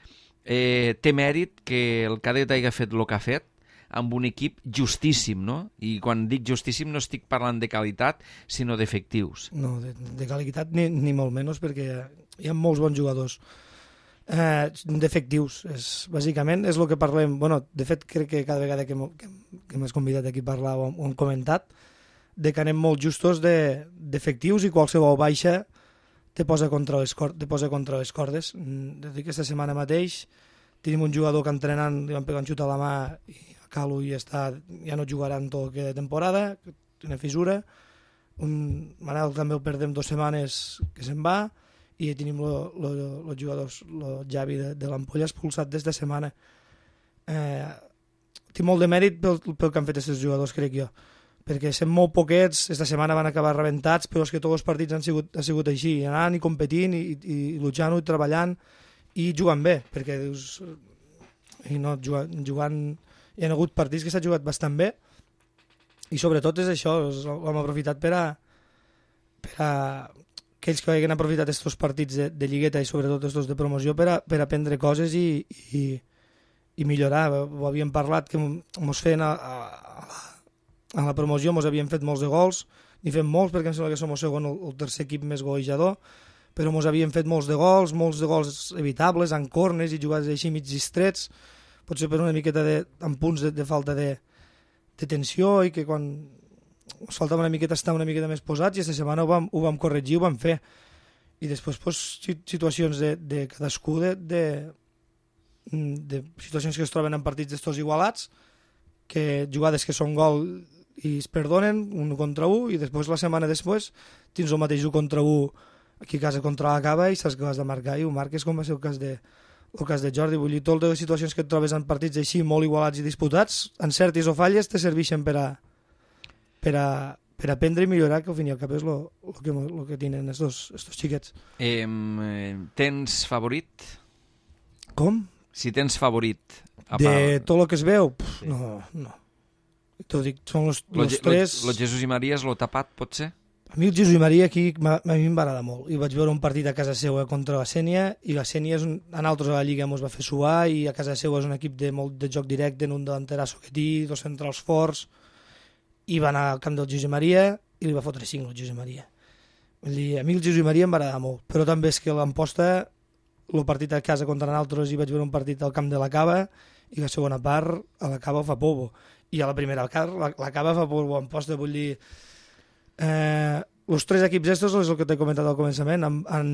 eh, té mèrit que el Cadet hagi fet el que ha fet amb un equip justíssim, no? I quan dic justíssim no estic parlant de qualitat, sinó d'efectius. No, de, de qualitat ni, ni molt menys, perquè hi ha molts bons jugadors. Eh, d'efectius, és, bàsicament és el que parlem. Bueno, de fet, crec que cada vegada que, que, que m'has convidat aquí a parlar ho, ho hem comentat, de que anem molt justos de, d'efectius i qualsevol baixa te posa contra les, cor, te posa contra les cordes. De dir que aquesta setmana mateix tenim un jugador que entrenant li van pegar un xut a la mà i Calu ja, està, ja no jugarà en tot el que de temporada, té una fissura. Un Manel també el perdem dues setmanes que se'n va i tenim els jugadors, el Javi de, de l'Ampolla expulsat des de setmana. Eh, té molt de mèrit pel, pel que han fet aquests jugadors, crec jo, perquè sent molt poquets, aquesta setmana van acabar rebentats, però és que tots els partits han sigut, han sigut així, anant i competint i, i, i luchant i treballant i jugant bé, perquè dius, i no jugant, jugant hi ha hagut partits que s'ha jugat bastant bé i sobretot és això, ho hem aprofitat per a, per a aquells que hagin aprofitat aquests partits de, de lligueta i sobretot aquests de promoció per a, per aprendre coses i, i, i millorar. Ho havíem parlat que ens feien a, a, a, la, a la promoció, ens havien fet molts de gols, ni fem molts perquè em sembla que som el segon o el tercer equip més golejador, però ens havien fet molts de gols, molts de gols evitables, en corners i jugades així mig distrets, potser per una miqueta de, amb punts de, de falta de, de tensió i que quan ens faltava una miqueta estar una miqueta més posats i aquesta setmana ho vam, ho vam corregir, ho vam fer. I després pues, situacions de, de cadascú, de, de, de situacions que es troben en partits d'estos igualats, que jugades que són gol i es perdonen un contra un i després la setmana després tens el mateix un contra un aquí a casa contra la Cava i saps que has de marcar i ho marques com va ser el cas de el cas de Jordi. Vull dir, totes les situacions que et trobes en partits així molt igualats i disputats, encertis o falles, te serveixen per a, per a, per aprendre i millorar, que al fin i al cap és el que, lo que tenen estos, estos xiquets. Eh, tens favorit? Com? Si tens favorit. De tot el que es veu? Pff, sí. No, no. T'ho dic, són els tres... Lo Jesús i Maria és lo tapat, pot ser? A mi el Jesús i Maria aquí a mi em va agradar molt. I vaig veure un partit a casa seva contra la Sènia i la Sènia és un, en altres a la Lliga ens va fer suar i a casa seva és un equip de molt de joc directe, en un delanterasso que té, dos centrals forts i va anar al camp del Jesús i Maria i li va fotre cinc al Jesús i Maria. Vull dir, a mi el Jesús i Maria em va agradar molt, però també és que l'Amposta, el partit a casa contra nosaltres i vaig veure un partit al camp de la Cava i la segona part a la Cava fa povo i a la primera part la, la Cava fa povo a Amposta. Vull dir, Eh, els tres equips estos és el que t'he comentat al començament, han, han,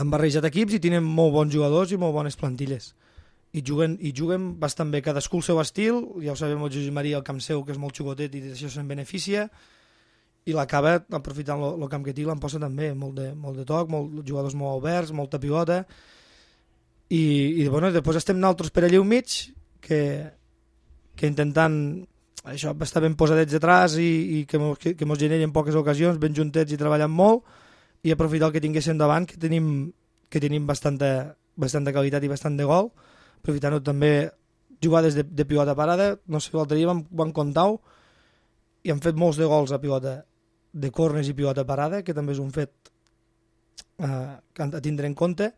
han barrejat equips i tenen molt bons jugadors i molt bones plantilles i juguen, i juguen bastant bé, cadascú el seu estil. Ja ho sabem el Josep Maria, el camp seu, que és molt xugotet i d'això se'n beneficia, i l'acaba aprofitant el camp que té, l'Amposta també, molt de, molt de toc, molt, jugadors molt oberts, molta pivota i, i bueno, després estem nosaltres per allà al mig que, que intentant això està ben posadets detrás i, i que mos, que, que mos generi en poques ocasions, ben juntets i treballant molt i aprofitar el que tinguéssim davant, que tenim, que tenim bastanta, bastanta qualitat i bastant de gol, aprofitant-ho també jugades de, de pivota parada. No sé, l'altre dia vam, vam comptar-ho i han fet molts de gols a pivota de corners i pivota parada, que també és un fet eh, a tindre en compte,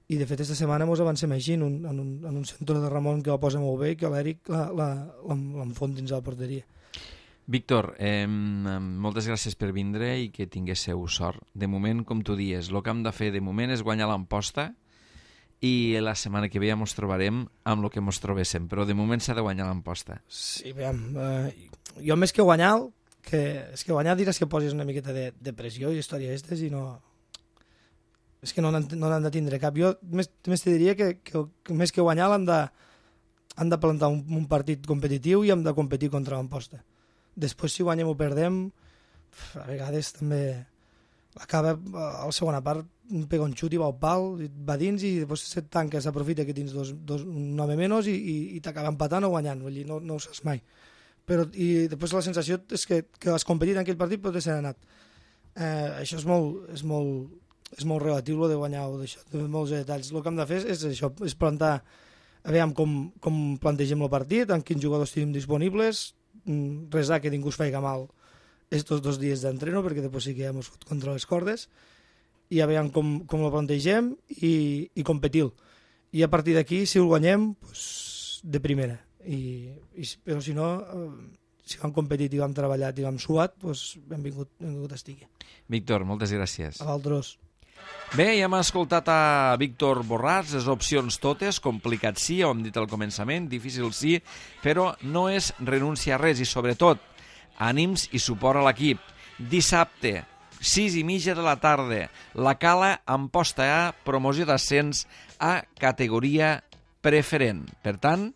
i de fet aquesta setmana ens avancem així en un, en un, en un centre de Ramon que la posa molt bé i que l'Eric l'enfon dins la porteria. Víctor, eh, moltes gràcies per vindre i que tinguéssiu sort. De moment, com tu dies, el que hem de fer de moment és guanyar l'Amposta i la setmana que ve ja ens trobarem amb el que ens trobéssim, però de moment s'ha de guanyar l'Amposta. Sí, veiem, eh, jo més que guanyar, que, és que guanyar diràs que posis una miqueta de, de pressió i història aquestes i no... És que no n'han no de tindre cap. Jo més, més te diria que, que, que més que guanyar hem de, hem de plantar un, un partit competitiu i hem de competir contra l'Amposta. Després, si guanyem o perdem, a vegades també acaba a la segona part, pega un xut i va al pal, va dins i després se tanca, s'aprofita que tens dos, dos, un home menys i, i, i t'acaba empatant o guanyant, vull dir, no, no ho saps mai. Però, i després la sensació és que, que has competit en aquell partit pot ser anat. Eh, això és molt, és molt, és molt relatiu, lo de guanyar o d'això, de molts detalls. El que hem de fer és això, és plantar, a veure com, com plantegem el partit, amb quins jugadors tenim disponibles, resar que ningú es faci mal estos dos dies d'entreno, perquè després sí que ja ens fot contra les cordes, i a veure com, com ho plantegem i, i competir. I a partir d'aquí, si ho guanyem, pues, de primera. I, i, però si no, si vam competit i vam treballat i vam suat, pues, benvingut, benvingut estigui. Víctor, moltes gràcies. A vosaltres. Bé, ja hem escoltat a Víctor Borràs, les opcions totes, complicat sí, ho hem dit al començament, difícil sí, però no és renúncia a res i sobretot ànims i suport a l'equip. Dissabte, sis i mitja de la tarda, la Cala Amposta A, promoció d'ascens a categoria preferent. Per tant,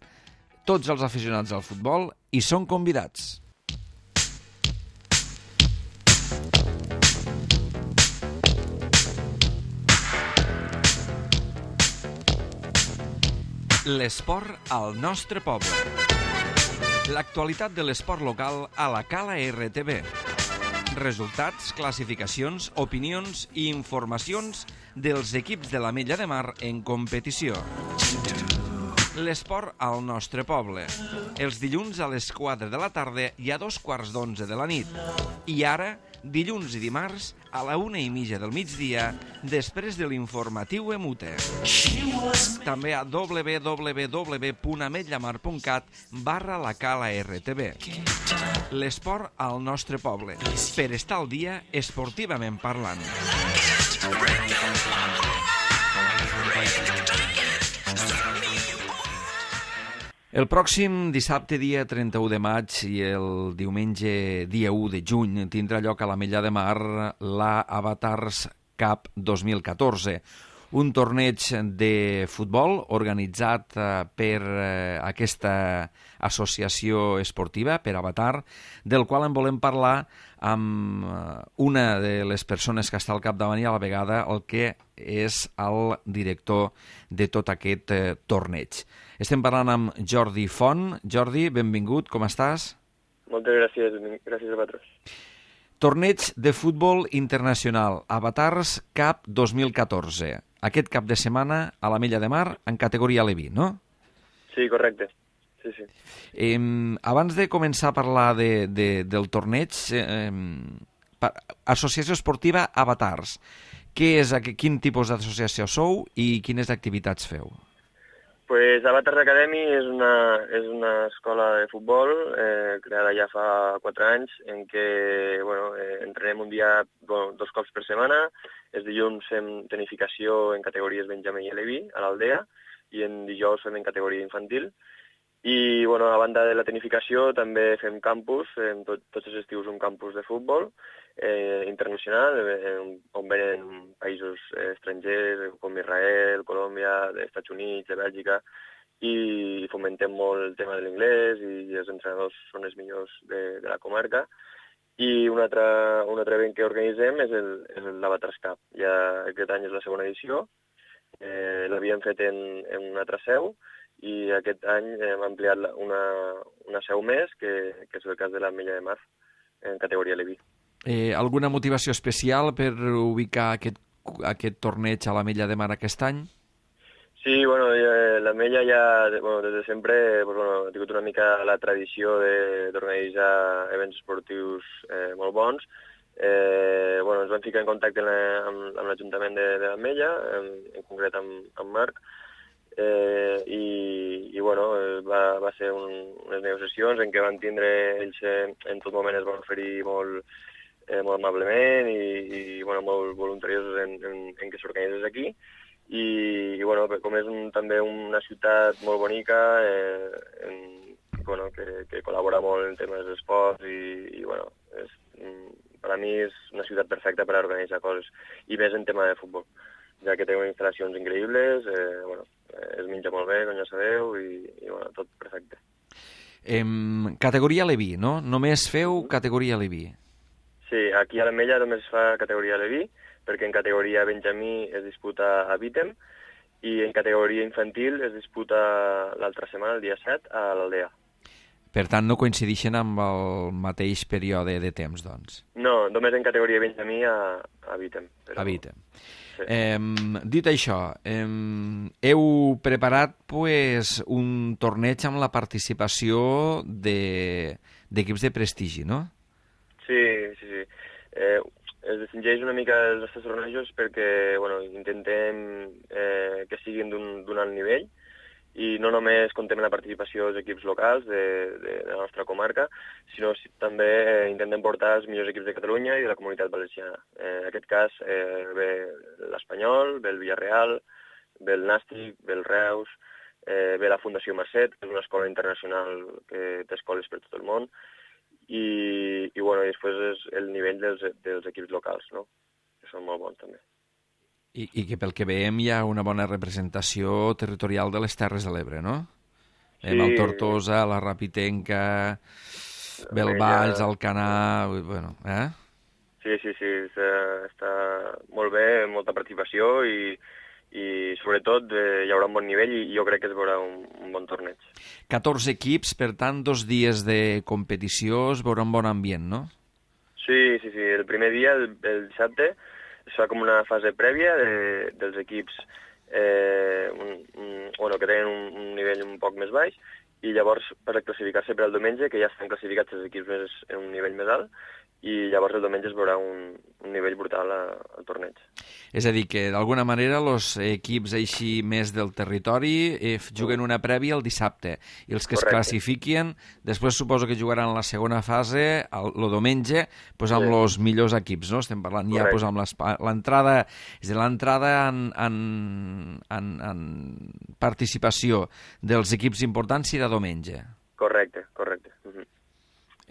tots els aficionats al futbol hi són convidats. L'esport al nostre poble. L'actualitat de l'esport local a la Cala R T V. Resultats, classificacions, opinions i informacions dels equips de l'Ametlla de Mar en competició. L'esport al nostre poble. Els dilluns a les quatre de la tarda i a dos quarts d'onze de la nit. I ara, dilluns i dimarts, a la una i mitja del migdia, després de l'informatiu Emute. També a w w w punt ametllamar punt cat barra la Cala R T V. L'esport al nostre poble. Per estar al dia, esportivament parlant. El pròxim dissabte, dia trenta-u de maig, i el diumenge, dia u de juny, tindrà lloc a l'Ametlla de Mar la Avatars Cup dos mil catorze, un torneig de futbol organitzat per aquesta associació esportiva, per Avatar, del qual en volem parlar amb una de les persones que està al capdavant i a la vegada el que és el director de tot aquest torneig. Estem parlant amb Jordi Font. Jordi, benvingut, com estàs? Moltes gràcies, gràcies a vosaltres. Torneig de futbol internacional, Avatars Cup dos mil catorze. Aquest cap de setmana a l'Ametlla de Mar en categoria Levi, no? Sí, correcte. Sí, sí. Eh, abans de començar a parlar de, de, del torneig, eh, Associació Esportiva Avatars. Què és, quin tipus d'associació sou i quines activitats feu? Pues Avatars Academy és una, és una escola de futbol eh, creada ja fa quatre anys en què bueno, eh, entrenem un dia, bueno, dos cops per setmana. Els dilluns fem tenificació en categories Benjamí i Levi a l'Aldea i en dijous fem en categoria infantil. I bueno, a banda de la tenificació també fem campus, en tot, tots els estius un campus de futbol eh, internacional, eh, on venen països eh, estrangers com Israel, Colòmbia, Estats Units, de Bèlgica, i fomentem molt el tema de l'inglès i els entrenadors són els millors de, de la comarca. I un altre, un altre event que organitzem és l'Avatars Cup. Ja aquest any és la segona edició, eh, l'havíem fet en, en una altra seu, i aquest any hem ampliat una, una seu més, que, que és el cas de l'Ametlla de Mar, en categoria Levi. Eh, alguna motivació especial per ubicar aquest, aquest torneig a l'Ametlla de Mar aquest any? Sí, bueno, l'Ametlla ja, bueno, des de sempre pues, bueno, ha tingut una mica la tradició d'organitzar events esportius eh, molt bons, Eh, bueno, ens vam ficar en contacte amb, amb l'Ajuntament de, de l'Ametlla, en, en concret amb, amb Marc, eh, i, i bueno, va, va ser un, unes negociacions en què van tindre, ells en tot moment es van oferir molt, eh, molt amablement i, i bueno, molt voluntariosos en, en, en que s'organitzés aquí. I, i bueno, com és un, també una ciutat molt bonica, eh, en, bueno, que, que col·labora molt en temes d'esports i, i bueno, és, per a mi és una ciutat perfecta per a organitzar coses, i més en tema de futbol, ja que té unes instal·lacions increïbles, eh, bueno, es menja molt bé, com ja sabeu, i, i bueno, tot perfecte. Em, categoria Leví, no? Només feu categoria Leví. Sí, aquí a l'Ametlla només es fa categoria Leví, perquè en categoria Benjamí es disputa a Vítem, i en categoria infantil es disputa l'altra setmana, el dia set, a l'Aldea. Per tant, no coincideixen amb el mateix període de temps, doncs. No, només en categoria Benjamí a, a Vítem. Però... A Vítem. Sí. Eh, dit això, eh, heu preparat pues, un torneig amb la participació de, d'equips de prestigi, no? Sí, sí, sí. Eh, es distingeix una mica els nostres tornejos perquè bueno, intentem eh, que siguin d'un alt nivell, i no només contem amb la participació dels equips locals de, de, de la nostra comarca, sinó si, també eh, intentem portar els millors equips de Catalunya i de la comunitat valenciana. Eh, en aquest cas eh, ve l'Espanyol, ve el Villarreal, ve el Nàstic, ve el Reus, eh, ve la Fundació Mercet, que és una escola internacional que té escoles per tot el món, i, i, bueno, i després és el nivell dels, dels equips locals, no? Que són molt bons també. I, I que pel que veiem hi ha una bona representació territorial de les Terres de l'Ebre, no? Sí. El Tortosa, la Rapitenca, Belvalls, Alcanar... Bueno, eh? Sí, sí, sí, està molt bé, molta participació i, i sobretot eh, hi haurà un bon nivell i jo crec que es veurà un, un bon torneig. catorze equips, per tant, dos dies de competició, es veurà un bon ambient, no? Sí, sí, sí. El primer dia, el, el dissabte, es fa com una fase prèvia de, dels equips eh, un, un, bueno, que tenen un, un nivell un poc més baix, i llavors per classificar-se per al diumenge, que ja estan classificats els equips més, en un nivell més alt, i llavors el diumenge es veurà un, un nivell brutal a, al torneig. És a dir, que d'alguna manera els equips així més del territori eh, juguen una prèvia el dissabte, i els que Correcte. Es classifiquen després suposo que jugaran la segona fase el, el diumenge pues, amb sí. els millors equips, no? Estem parlant Correcte. Ja pues, amb l'entrada, és a dir, l'entrada en, en, en, en participació dels equips importants serà diumenge. Correcte, correcte. Uh-huh.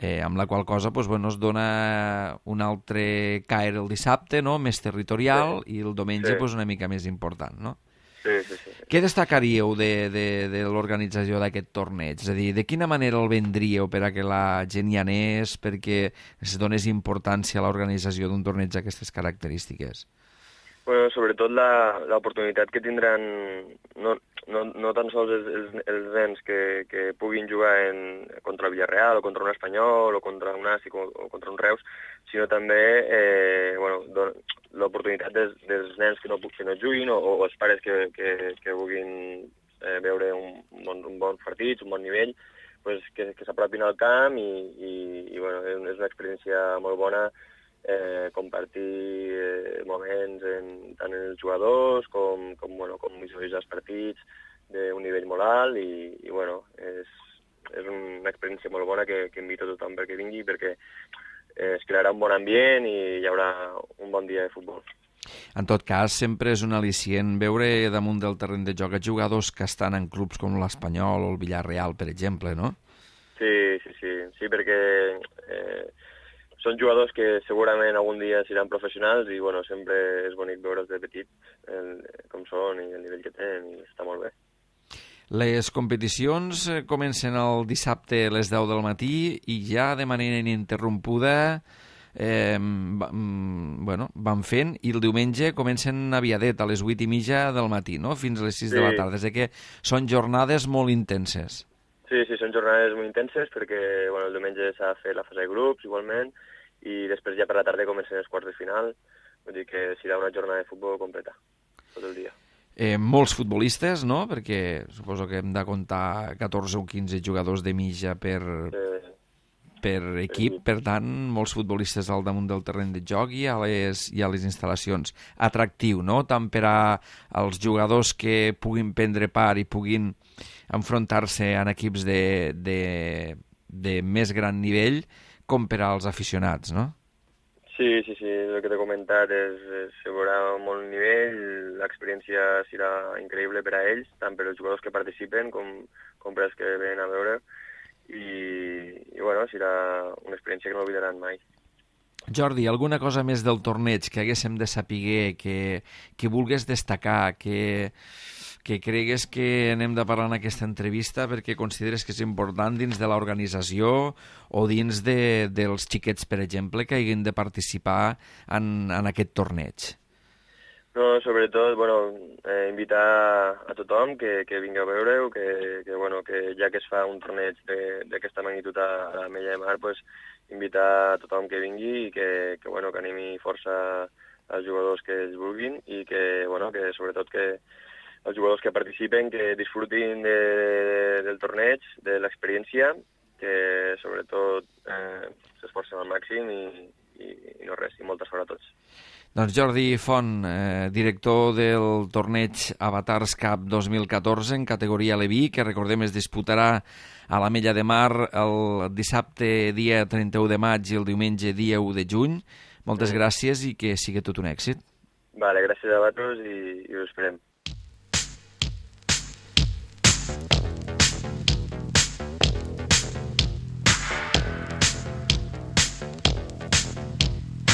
Eh, amb la qual cosa pues, bueno, es dona un altre caire el dissabte, no? Més territorial, sí. I el diumenge sí. pues, una mica més important, no? Sí, sí, sí. Què destacaríeu de, de, de l'organització d'aquest torneig? És a dir, de quina manera el vendríeu per a que la gent hi anés, perquè es donés importància a l'organització d'un torneig d'aquestes característiques? Bueno, sobretot l'oportunitat que tindran no, no, no tan sols els, els, els nens que, que puguin jugar en, contra el Villarreal o contra un Espanyol o contra un Nàstic o, o contra un Reus, sinó també eh, bueno, l'oportunitat dels, dels nens que no, que no juguin o, o els pares que, que, que vulguin eh, veure un, un, bon, un bon partit, un bon nivell, pues, que, que s'apropin al camp i, i, i bueno, és una experiència molt bona. Eh, compartir eh, moments en, tant en els jugadors com, com, bueno, com visualitzar els partits d'un nivell molt alt i, i bueno, és, és una experiència molt bona que, que invito a tothom perquè vingui perquè eh, es crearà un bon ambient i hi haurà un bon dia de futbol. En tot cas, sempre és un al·licient veure damunt del terreny de joc jugadors que estan en clubs com l'Espanyol o el Villarreal, per exemple, no? Sí, sí, sí, sí perquè eh, són jugadors que segurament algun dia seran professionals i bueno, sempre és bonic veure'ls de petit el, com són i el nivell que tenen i està molt bé. Les competicions comencen el dissabte a les deu del matí i ja de manera ininterrompuda eh, bueno, van fent i el diumenge comencen aviadet a les vuit i mitja del matí, no? Fins a les sis sí. de la tarda. És que són jornades molt intenses. Sí, sí, són jornades molt intenses perquè bueno, el diumenge s'ha de fer la fase de grups igualment i després ja per la tarda comencen els quarts de final, vull dir que serà una jornada de futbol completa, tot el dia. Eh, molts futbolistes, no? Perquè suposo que hem de comptar catorze o quinze jugadors de mitja per, sí. per equip, per tant, molts futbolistes al damunt del terreny de joc i a les, i a les instal·lacions. Atractiu, no?, tant per als jugadors que puguin prendre part i puguin enfrontar-se en equips de, de, de més gran nivell, com per als aficionats, no? Sí, sí, sí, el que t'he comentat és, és hi haurà molt nivell, l'experiència serà increïble per a ells, tant per als jugadors que participen com, com per als que venen a veure, i, i bueno, serà una experiència que no oblidaran mai. Jordi, alguna cosa més del torneig que haguéssim de saber, que, que vulgues destacar, que, que cregues que anem de parlar en aquesta entrevista perquè consideres que és important dins de l'organització o dins de, dels xiquets, per exemple, que hagin de participar en, en aquest torneig? No, sobretot, bueno, eh, invitar a tothom que, que vingui a veure-ho, que, que, bueno, que ja que es fa un torneig d'aquesta magnitud a, a l'Ametlla de Mar, pues, invitar a tothom que vingui i que, que, bueno, que animi força als jugadors que ells vulguin i que, bueno, que sobretot que els jugadors que participen que disfrutin de, del torneig, de l'experiència, que sobretot eh, s'esforcen al màxim i, i, i no res, i molta sort a tots. Doncs Jordi Font, eh, director del torneig Avatars Cup dos mil catorze en categoria Leví, que recordem es disputarà a l'Ametlla de Mar el dissabte dia trenta-u de maig i el diumenge dia u de juny. Moltes gràcies i que sigui tot un èxit. Vale, gràcies a vosaltres i, i us esperem.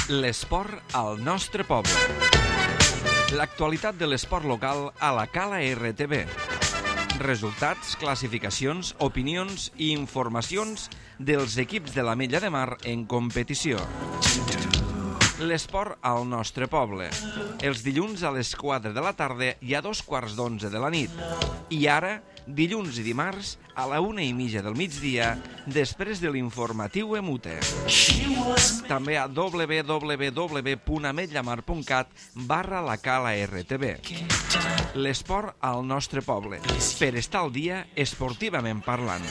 L'esport al nostre poble. L'actualitat de l'esport local a la Cala R T V. Resultats, classificacions, opinions i informacions dels equips de l'Ametlla de Mar en competició. L'esport al nostre poble. Els dilluns a les quatre de la tarda i a dos quarts d'onze de la nit. I ara, dilluns i dimarts, a la una i mitja del migdia, després de l'informatiu Emute. També a w w w punt ametllamar punt cat barra la Cala R T V. L'esport al nostre poble. Per estar al dia, esportivament parlant.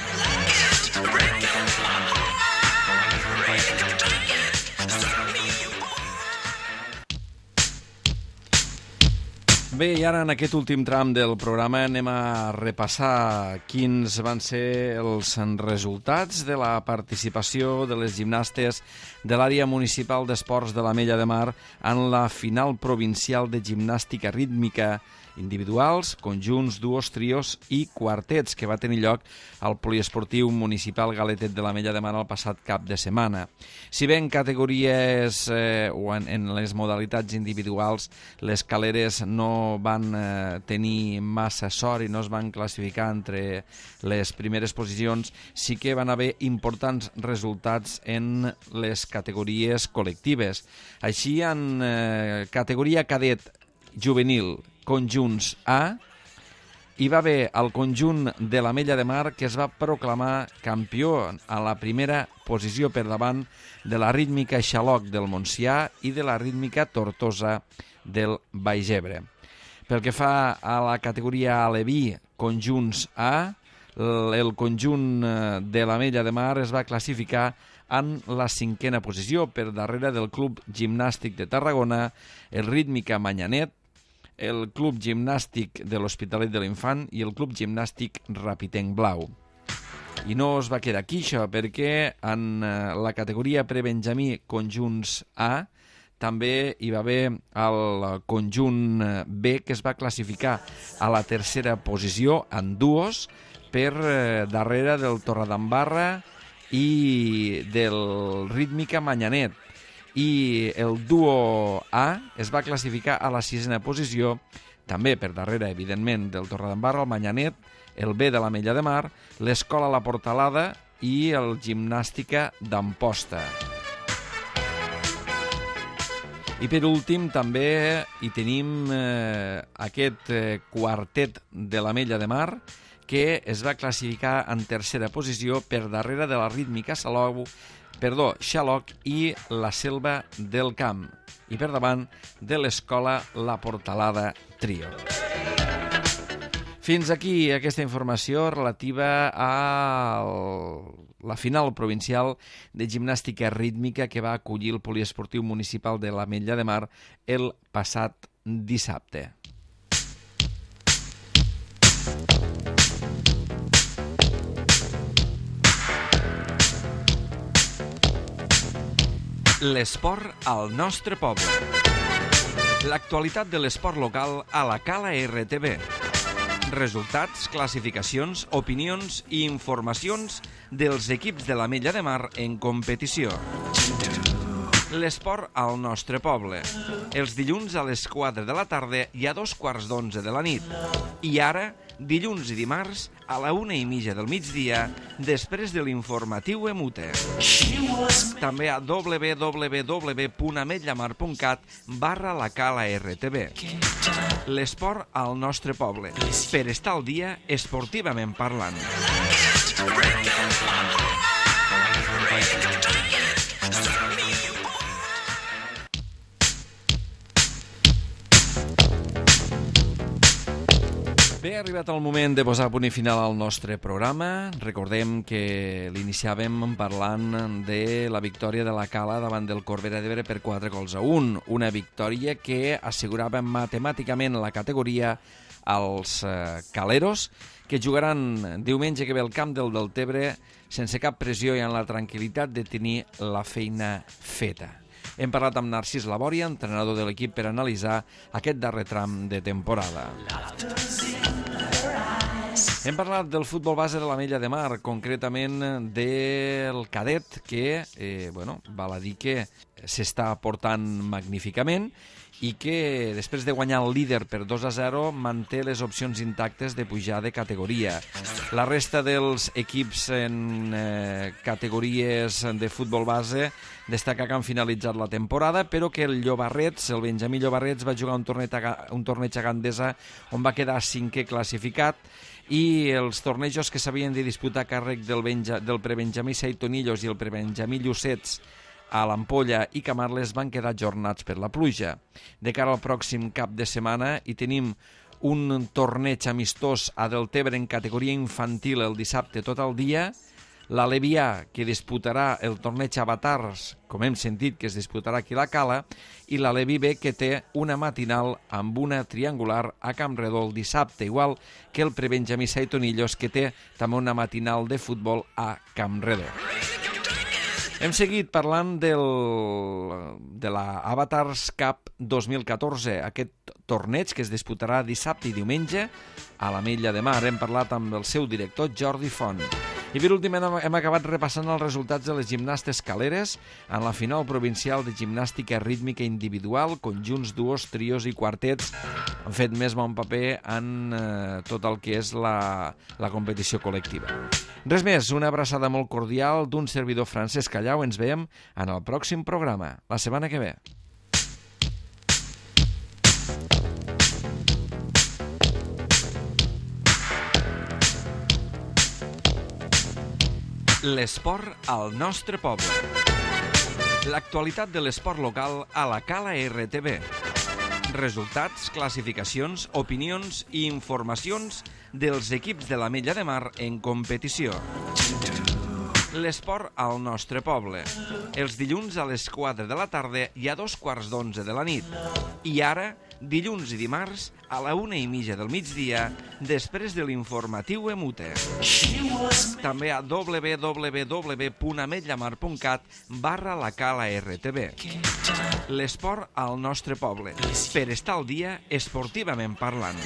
Bé, i ara en aquest últim tram del programa anem a repassar quins van ser els resultats de la participació de les gimnastes de l'àrea municipal d'esports de l'Ametlla de Mar en la final provincial de gimnàstica rítmica individuals, conjunts, duos, trios i quartets, que va tenir lloc al poliesportiu municipal Galetet de l'Ametlla de Mar el passat cap de setmana. Si bé en categories eh, o en, en les modalitats individuals les caleres no van eh, tenir massa sort i no es van classificar entre les primeres posicions, sí que van haver importants resultats en les categories col·lectives. Així, en eh, categoria cadet juvenil, conjunts A, hi va haver el conjunt de l'Ametlla de Mar que es va proclamar campió a la primera posició per davant de la rítmica Xaloc del Montsià i de la rítmica Tortosa del Baix Ebre. Pel que fa a la categoria Aleví, conjunts A, el conjunt de l'Ametlla de Mar es va classificar en la cinquena posició per darrere del Club Gimnàstic de Tarragona, el Rítmica Manyanet, el Club Gimnàstic de l'Hospitalet de l'Infant i el Club Gimnàstic Rapitenc Blau. I no es va quedar aquí això, perquè en la categoria prebenjamí conjunts A també hi va haver el conjunt B que es va classificar a la tercera posició en duos per darrere del Torredembarra i del Rítmica Manyanet. I el duo A es va classificar a la sisena posició, també per darrere, evidentment, del Torredembarra, el Manyanet, el B de l'Ametlla de Mar, l'Escola La Portalada i el Gimnàstica d'Amposta. I per últim també hi tenim eh, aquest eh, quartet de l'Ametlla de Mar que es va classificar en tercera posició per darrere de la rítmica Salou, perdó, Xaloc i la Selva del Camp, i per davant de l'Escola La Portalada Trio. Fins aquí aquesta informació relativa a la final provincial de gimnàstica rítmica que va acollir el poliesportiu municipal de l'Ametlla de Mar el passat dissabte. L'esport al nostre poble. L'actualitat de l'esport local a la Cala R T V. Resultats, classificacions, opinions i informacions dels equips de l'Ametlla de Mar en competició. L'esport al nostre poble. Els dilluns a les quatre de la tarda i a dos quarts d'onze de la nit. I ara, dilluns i dimarts, a la una i mitja del migdia, després de l'informatiu Emute. També a w w w punt ametllamar punt cat barra la Cala R T V. L'esport al nostre poble, per estar al dia esportivament parlant. Bé, ha arribat el moment de posar punt i final al nostre programa. Recordem que l'iniciàvem parlant de la victòria de la Cala davant del Corbera d'Ebre per quatre gols a un. Una victòria que assegurava matemàticament la categoria als eh, caleros, que jugaran diumenge que ve al camp del Deltebre sense cap pressió i amb la tranquil·litat de tenir la feina feta. Hem parlat amb Narcís Labòria, entrenador de l'equip, per analitzar aquest darrer tram de temporada. Hem parlat del futbol base de l'Ametlla de Mar, concretament del cadet, que eh, bueno, val a dir que s'està portant magníficament i que després de guanyar el líder per dos a zero manté les opcions intactes de pujar de categoria. La resta dels equips en eh, categories de futbol base destaca que han finalitzat la temporada, però que el Llobarrets, el Benjamí Llobarrets, va jugar un torneig a, un torneig a Gandesa on va quedar cinquè classificat, i els tornejos que s'havien de disputar a càrrec del, Benja, del prebenjamí Seitonillos i el prebenjamí Llucets a l'Ampolla i Camarles van quedar ajornats per la pluja. De cara al pròxim cap de setmana hi tenim un torneig amistós a Deltebre en categoria infantil el dissabte tot el dia, l'Alevià, que disputarà el torneig Avatars, com hem sentit que es disputarà aquí a la Cala, i l'Alevi B, que té una matinal amb una triangular a Campredó el dissabte, igual que el prebenjamí Seitonillos, que té també una matinal de futbol a Campredó. Hem seguit parlant del, de la Avatars Cup dos mil catorze, aquest torneig que es disputarà dissabte i diumenge a l'Ametlla de Mar. Hem parlat amb el seu director, Jordi Font. I per últim hem acabat repassant els resultats de les gimnastes caleres en la final provincial de gimnàstica rítmica individual, conjunts, duos, trios i quartets. Han fet més bon paper en eh, tot el que és la, la competició col·lectiva. Res més, una abraçada molt cordial d'un servidor Francesc Callau. Ens veiem en el pròxim programa, la setmana que ve. L'esport al nostre poble. L'actualitat de l'esport local a la Cala R T V. Resultats, classificacions, opinions i informacions dels equips de l'Ametlla de Mar en competició. L'esport al nostre poble. Els dilluns a les quatre de la tarda i a dos quarts d'onze de la nit. I ara, dilluns i dimarts, a la una i mitja del migdia, després de l'informatiu Emute. També a w w w punt ametllamar punt cat barra la Cala R T V. L'esport al nostre poble, per estar al dia esportivament parlant.